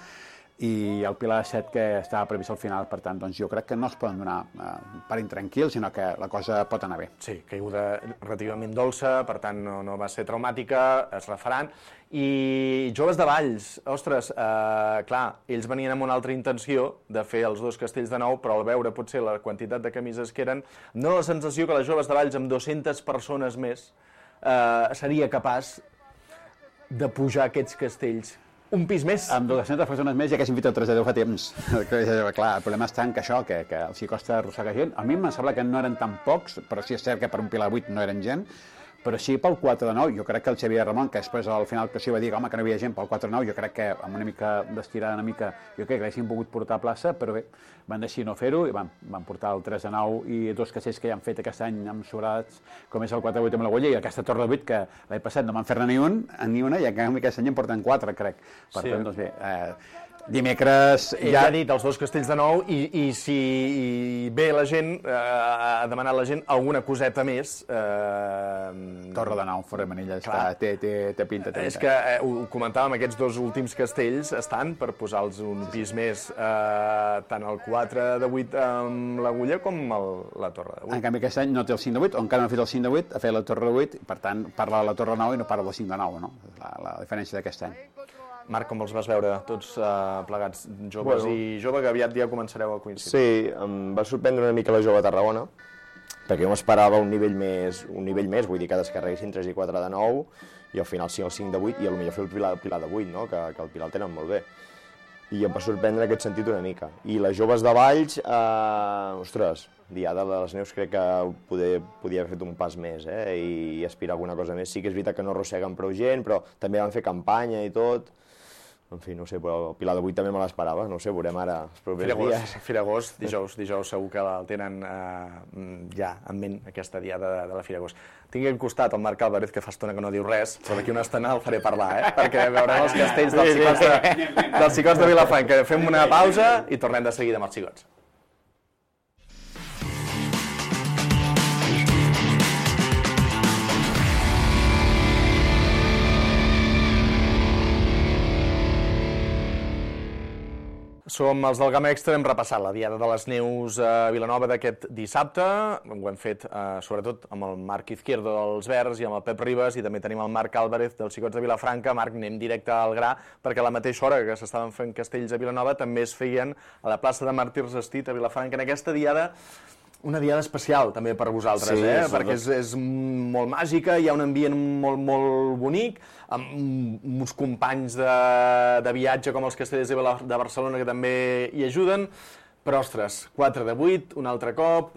i el pilar de 7 que estava previst al final, per tant, doncs jo crec que no es poden donar per intranquils, sinó que la cosa pot anar bé. Sí, caiguda relativament dolça, per tant no va ser traumàtica, es refaran. I Joves de Valls, ostres, clar, ells venien amb una altra intenció de fer els 2 castells de 9, però al veure potser la quantitat de camises que eren, dona la sensació que les Joves de Valls amb 200 persones més seria capaç de pujar aquests castells un pis més. Amb 200 persones més ja que s'invita el 3 de 10 fa temps. Clar, el problema està en que això, que els hi costa arrossegar gent. A mi em sembla que no eren tan pocs, però sí és cert que per un pilar 8 no eren gent, però sí pel 4 de 9. Jo crec que el Xavier Ramon, que després al final que s'hi va dir home, que no hi havia gent pel 4 de 9, jo crec que amb una mica d'estirada una mica, jo crec que l'haguessin pogut portar a plaça, però bé, van decidir no fer-ho i van portar el 3 de 9 i 2 castells que ja han fet aquest any amb sobrats, com és el 4 de 8 amb l'Agulla i aquesta torre de 8 que l'any passat no van fer-ne ni una i en canvi aquest any en porten 4, crec. Per tant, doncs bé, dimecres ja ha dit els 2 castells de 9 i si ve la gent, ha demanat la gent alguna coseta més. Torre de 9, fora de Manilla, té pinta. És que ho comentàvem, aquests 2 últims castells estan per posar-los un pis més, tant el 4 de 8 amb l'Agulla com la Torre de 8. En canvi aquest any no té el 5 de 8, o encara no ha fet el 5 de 8, ha fet la Torre de 8, i per tant parla de la Torre de 9 i no parla del 5 de 9, no? La diferència d'aquest any. Marc, com els vas veure tots plegats, joves i jove, que aviat ja començareu a coincidir? Sí, em va sorprendre una mica la Jove de Tarragona, perquè jo m'esperava un nivell més, vull dir que descarreguessin 3 i 4 de 9, i al final sí el 5 de 8, i potser fer el pilar de 8, no? Que el pilar el tenen molt bé. I em va sorprendre en aquest sentit una mica. I les Joves de Valls, ostres, Diada de les Neus crec que podia haver fet un pas més, i aspirar a alguna cosa més. Sí que és veritat que no arrosseguen prou gent, però també van fer campanya i tot. En fi, no sé, però el pilar de 8 també me l'esperava, no sé, veurem ara els propers dies. Firagost, dijous segur que el tenen ja en ment, aquesta diada de la Firagost. Tingui al costat el Marc Álvarez, que fa estona que no diu res, però d'aquí una estona el faré parlar, perquè veurem els castells dels xicots de Vilafranca. Fem una pausa i tornem de seguida amb els xicots. som els del Gamma Extra, hem repassat la Diada de les Neus a Vilanova d'aquest dissabte. Ho hem fet sobretot amb el Marc Izquierdo dels Verds i amb el Pep Ribas, i també tenim el Marc Álvarez dels Xicots de Vilafranca. Marc, anem directe al gra, perquè a la mateixa hora que s'estaven fent castells a Vilanova també es feien a la plaça de Màrtirs Estit a Vilafranca. En aquesta diada, una diada especial també per vosaltres, perquè és molt màgica, hi ha un ambient molt, molt bonic, amb uns companys de viatge com els Castellers de Barcelona que també hi ajuden, però, ostres, 4 de 8, un altre cop,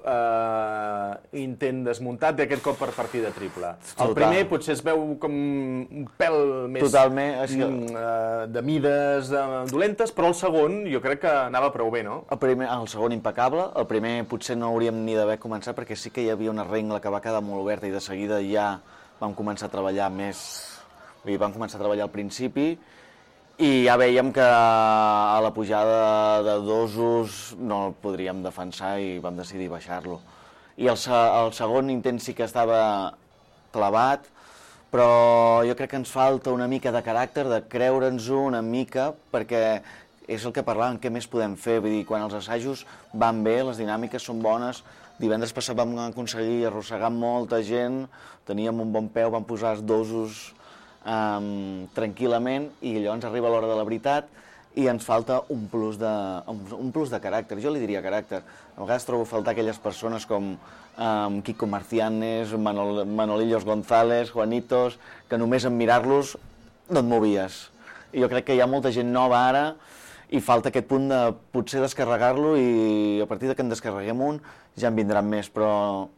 intent desmuntat, i aquest cop per partida triple. El primer potser es veu com un pèl més de mides dolentes, però el segon jo crec que anava prou bé, no? El segon impecable, el primer potser no hauríem ni d'haver començat perquè sí que hi havia una regla que va quedar molt oberta i de seguida ja vam començar a treballar més, vam començar a treballar al principi, i ja veiem que a la pujada de dosos no el podríem defensar i vam decidir baixar-lo. I el segon intent sí que estava clavat, però jo crec que ens falta una mica de caràcter, de creure'ns-ho una mica, perquè és el que parlàvem, què més podem fer? Vull dir, quan els assajos van bé, les dinàmiques són bones, divendres passat vam aconseguir arrossegar molta gent, teníem un bon peu, vam posar els dosos tranquil·lament, i llavors arriba l'hora de la veritat i ens falta un plus de caràcter. Jo li diria caràcter. A vegades trobo a faltar aquelles persones com Kiko Marcianes, Manolillos González, Juanitos, que només en mirar-los no et movies. I jo crec que hi ha molta gent nova ara i falta aquest punt de potser descarregar-lo, i a partir que en descarreguem un ja en vindran més, però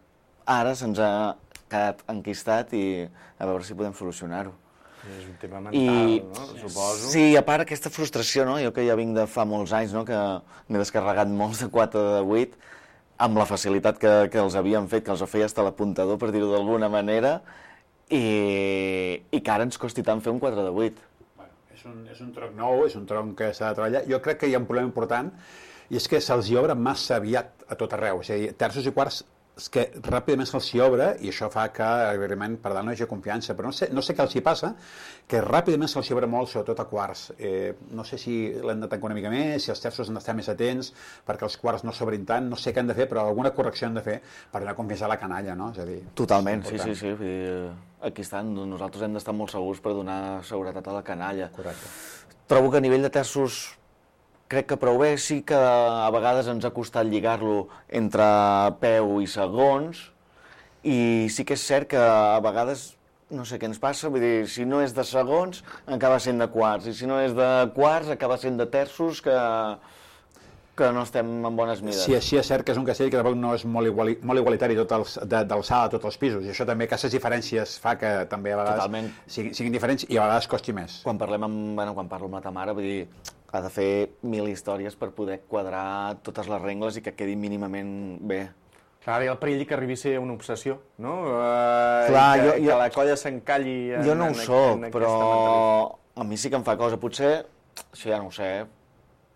ara se'ns ha quedat enquistat i a veure si podem solucionar-ho. És un tema mental, no? Suposo. Sí, a part aquesta frustració, no? Jo que ja vinc de fa molts anys, no? Que m'he descarregat molts de 4 de 8, amb la facilitat que els havien fet, que els ho feia hasta l'apuntador, per dir-ho d'alguna manera, i que ara ens costi tant fer un 4 de 8. És un tronc nou, és un tronc que s'ha de treballar. Jo crec que hi ha un problema important, i és que se'ls hi obre massa aviat a tot arreu. És a dir, terços i quarts és que ràpidament se'ls hi obre, i això fa que, evidentment, per dalt no hi hagi confiança, però no sé què els hi passa, que ràpidament se'ls hi obre molt, sobretot a quarts. No sé si l'hem de tancar una mica més, si els terços han d'estar més atents, perquè els quarts no s'obrin tant, no sé què han de fer, però alguna correcció han de fer per donar confiança a la canalla, no? És a dir, totalment, sí. Aquí estan, nosaltres hem d'estar molt segurs per donar seguretat a la canalla. Correcte. Trobo que a nivell de terços crec que prou bé, sí que a vegades ens ha costat lligar-lo entre peu i segons, i sí que és cert que a vegades no sé què ens passa, vull dir, si no és de segons acaba sent de quarts, i si no és de quarts acaba sent de terços, que no estem en bones mides. Sí, és cert que és un castell que tampoc no és molt igualitari d'alçada a tots els pisos, i això també, aquestes diferències fa que també a vegades siguin diferents i a vegades costi més. Quan parlo amb la ta mare, vull dir, ha de fer 1000 històries per poder quadrar totes les regles i que quedi mínimament bé. Clar, hi ha el perill que arribi a ser una obsessió, no? Clar, que la colla s'encalli... Jo no ho soc, però a mi sí que em fa cosa. Potser, això ja no ho sé,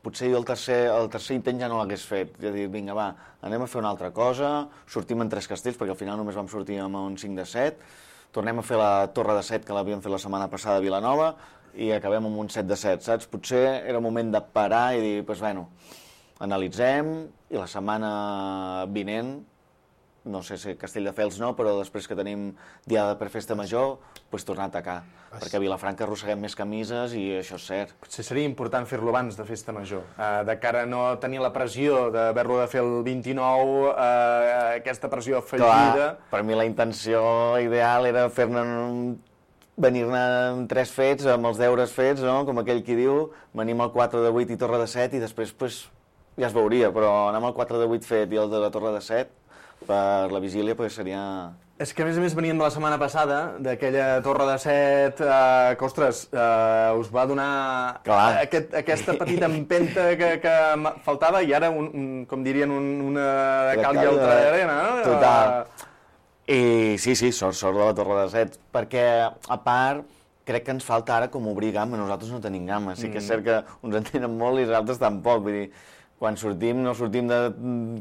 potser jo el tercer intent ja no l'hagués fet. És a dir, vinga, va, anem a fer una altra cosa, sortim en 3 castells, perquè al final només vam sortir amb un 5 de 7, tornem a fer la torre de 7 que l'havíem fet la setmana passada a Vilanova, i acabem amb un 7 de 7, saps? Potser era moment de parar i dir, doncs, bueno, analitzem, i la setmana vinent, no sé si Castelldefels no, però després que tenim Diada per Festa Major, doncs tornar a atacar, perquè a Vilafranca arrosseguem més camises i això és cert. Potser seria important fer-lo abans de Festa Major, de cara a no tenir la pressió d'haver-lo de fer el 29, aquesta pressió afegida... Clar, per mi la intenció ideal era venir-ne amb 3 fets, amb els deures fets, no? Com aquell qui diu, venim al 4 de 8 i torre de 7 i després pues, ja es veuria, però anar amb el 4 de 8 fet i el de la torre de 7 per la vigília pues, seria... És que a més venien de la setmana passada, d'aquella torre de 7, que ostres, us va donar aquesta petita empenta que faltava i ara, com dirien, una cal i altra arena, no? Total. I sí, sort de la torre de 7, perquè a part crec que ens falta ara com obrir gamma, nosaltres no tenim gamma, sí que és cert que uns en tenen molt i els altres tampoc, vull dir, quan sortim no sortim de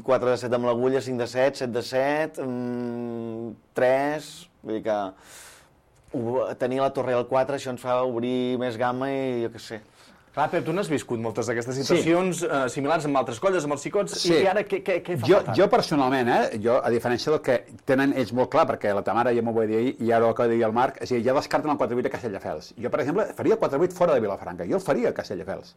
4 de 7 amb l'agulla, 5 de 7, 7 de 7, 3, vull dir que tenir la torre al 4 això ens fa obrir més gamma i jo què sé. Clar, Pep, tu n'has viscut moltes d'aquestes situacions similars amb altres colles, amb els xicots, i ara què fa falta? Jo personalment, a diferència del que tenen ells molt clar, perquè la Tamara ja m'ho va dir ahir, i ara ho acaba de dir el Marc, és a dir, ja descarten el 4-8 a Castelldefels. Jo, per exemple, faria el 4-8 fora de Vilafranca, jo el faria a Castelldefels.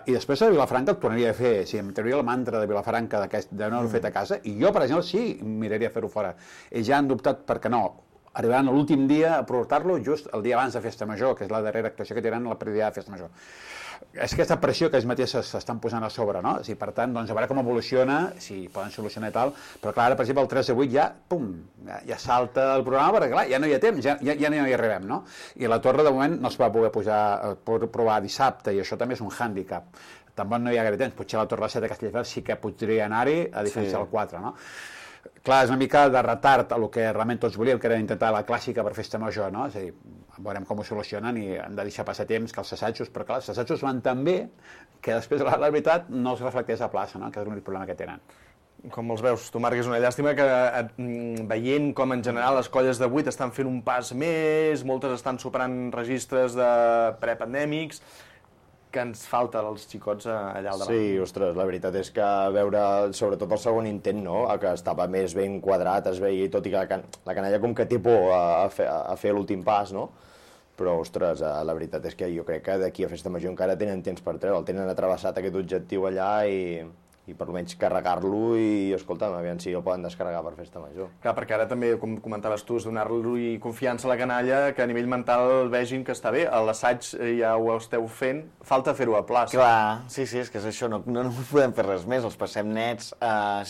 I després a Vilafranca el tornaria a fer, em trauria el mantra de Vilafranca de no haver fet a casa, i jo, per exemple, sí, miraria a fer-ho fora. Ells ja han dubtat perquè no, arribaran l'últim dia a portar-lo just el dia abans de Festa Major, que és la darrera actuació que tenen a la prèvia de Festa Major. És aquesta pressió que ells mateixos s'estan posant a sobre, no? Per tant, doncs, a veure com evoluciona, si poden solucionar i tal, però clar, ara, per exemple, el 3-8 ja, pum, ja salta el programa, perquè clar, ja no hi ha temps, ja no hi arribem, no? I la torre, de moment, no es va poder provar dissabte, i això també és un hàndicap. Tampoc no hi ha gaire temps, potser la torre 7 de Castelldefels sí que podria anar-hi, a diferència del 4, no? Clar, és una mica de retard a el que realment tots volíem, que era intentar la clàssica per Festa Major, no? És a dir, veurem com ho solucionen i han de deixar passar temps que els assajos, però clar, els assajos van tan bé que després la veritat no es reflecteix a plaça, no? Que és l'únic problema que tenen. Com els veus, tu, Marc, és una llàstima que veient com en general les colles de 8 estan fent un pas més, moltes estan superant registres de prepandèmics, que ens falta als xicots allà al davant. Sí, ostres, la veritat és que veure, sobretot el segon intent, no?, que estava més ben quadrat, es veia, tot i que la canalla com que té por a fer l'últim pas, no? Però, ostres, la veritat és que jo crec que d'aquí a Festa Major encara tenen temps per treure, el tenen atrevessat aquest objectiu allà i per almenys carregar-lo i, escolta'm, aviam si el poden descarregar per Festa Major. Clar, perquè ara també, com comentaves tu, és donar-li confiança a la canalla, que a nivell mental vegin que està bé. A l'assaig ja ho esteu fent, falta fer-ho a plaça. Clar, sí, és que és això, no podem fer res més, els passem nets,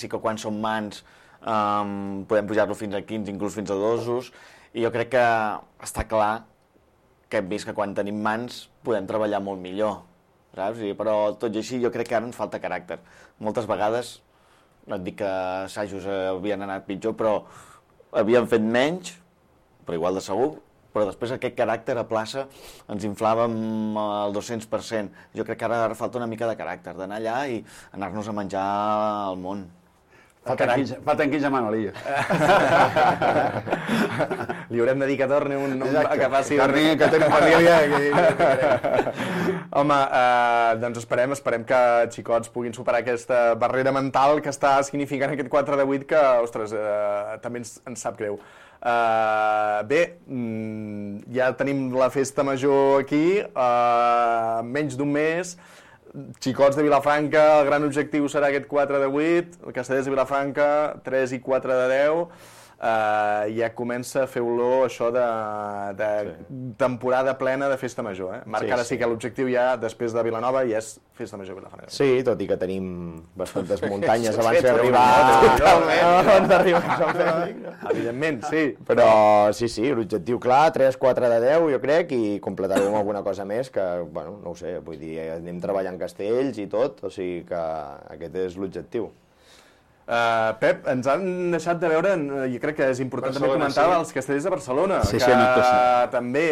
sí que quan són mans podem pujar-lo fins a 15, inclús fins a 2, i jo crec que està clar que hem vist que quan tenim mans podem treballar molt millor. Saps? Però tot i així jo crec que ara ens falta caràcter. Moltes vegades, no et dic que assajos havien anat pitjor, però havien fet menys, però igual de segur, però després aquest caràcter a plaça ens inflàvem al 200%. Jo crec que ara falta una mica de caràcter, d'anar allà i anar-nos a menjar al món. Falten 15 a Manolillo. Li haurem de dir que torni que faci... Que tenen família. Home, doncs esperem que xicots puguin superar aquesta barrera mental que està significant aquest 4-8 que, ostres, també ens sap greu. Bé, ja tenim la Festa Major aquí, menys d'un mes. Xicots de Vilafranca, el gran objectiu serà aquest 4-8, el Castellers de Vilafranca, 3 i 4-10, ja comença a fer olor això de temporada plena de Festa Major. Marc, ara sí que l'objectiu ja, després de Vilanova, ja és Festa Major Vilafranca. Sí, tot i que tenim bastantes muntanyes abans d'arribar a Sant Fèlix. Evidentment, sí. Però sí, l'objectiu clar, 3-4-10, jo crec, i completarem alguna cosa més que, bueno, no ho sé, vull dir, anem treballant castells i tot, o sigui que aquest és l'objectiu. Pep, ens han deixat de veure, jo crec que és important també comentar els Castellers de Barcelona, que també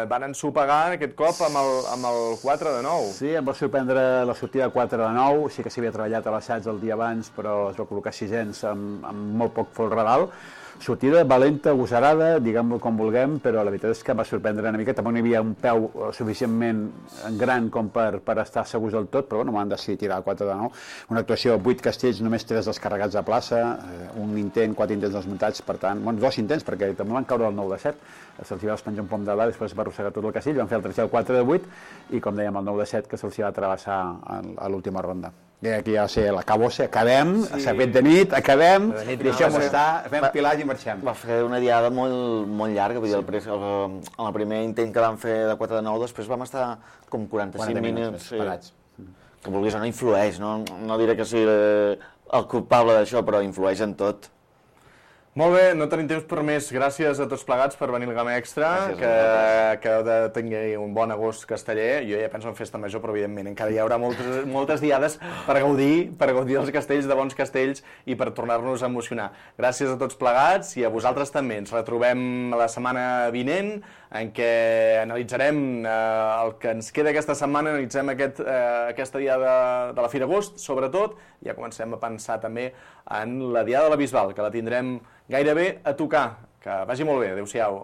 van ensopegar aquest cop amb el 4-9. Sí, em va sorprendre la sortida 4-9, sí que s'havia treballat a l'assaig el dia abans, però es va col·locar 600 amb molt poc folredal. Sortida valenta, agosarada, diguem-ho com vulguem, però la veritat és que em va sorprendre una mica. Tampoc no hi havia un peu suficientment gran com per estar segurs del tot, però bueno, m'han decidit tirar 4-9. Una actuació de 8 castells, només 3 descarregats a plaça, un intent, 4 intents desmuntats, per tant, bueno, 2 intents, perquè també van caure el 9-7, se'ls va despenjar un pom de dalt, després va arrossegar tot el castell, van fer el 3 i el 4-8, i com dèiem, el 9-7 que se'ls va travessar a l'última ronda. I aquí ja sé, acabem, s'ha fet de nit, acabem, deixem-ho estar, fem pilars i marxem. Va fer una diada molt llarga, vull dir, el primer intent que vam fer de 4-9, després vam estar com 45 minuts parats. Que vulguis o no influeix, no diré que sigui el culpable d'això, però influeix en tot. Molt bé, no tenim temps per més. Gràcies a tots plegats per venir al Gamma Extra, que heu de tenir un bon agost casteller. Jo ja penso en Festa Major, però evidentment encara hi haurà moltes diades per gaudir dels castells, de bons castells, i per tornar-nos a emocionar. Gràcies a tots plegats i a vosaltres també. Ens retrobem la setmana vinent, en què analitzarem el que ens queda aquesta setmana, analitzem aquesta diada de la Fira Agost, sobretot, i ja comencem a pensar també en la diada de la Bisbal, que la tindrem gairebé a tocar. Que vagi molt bé. Adéu-siau.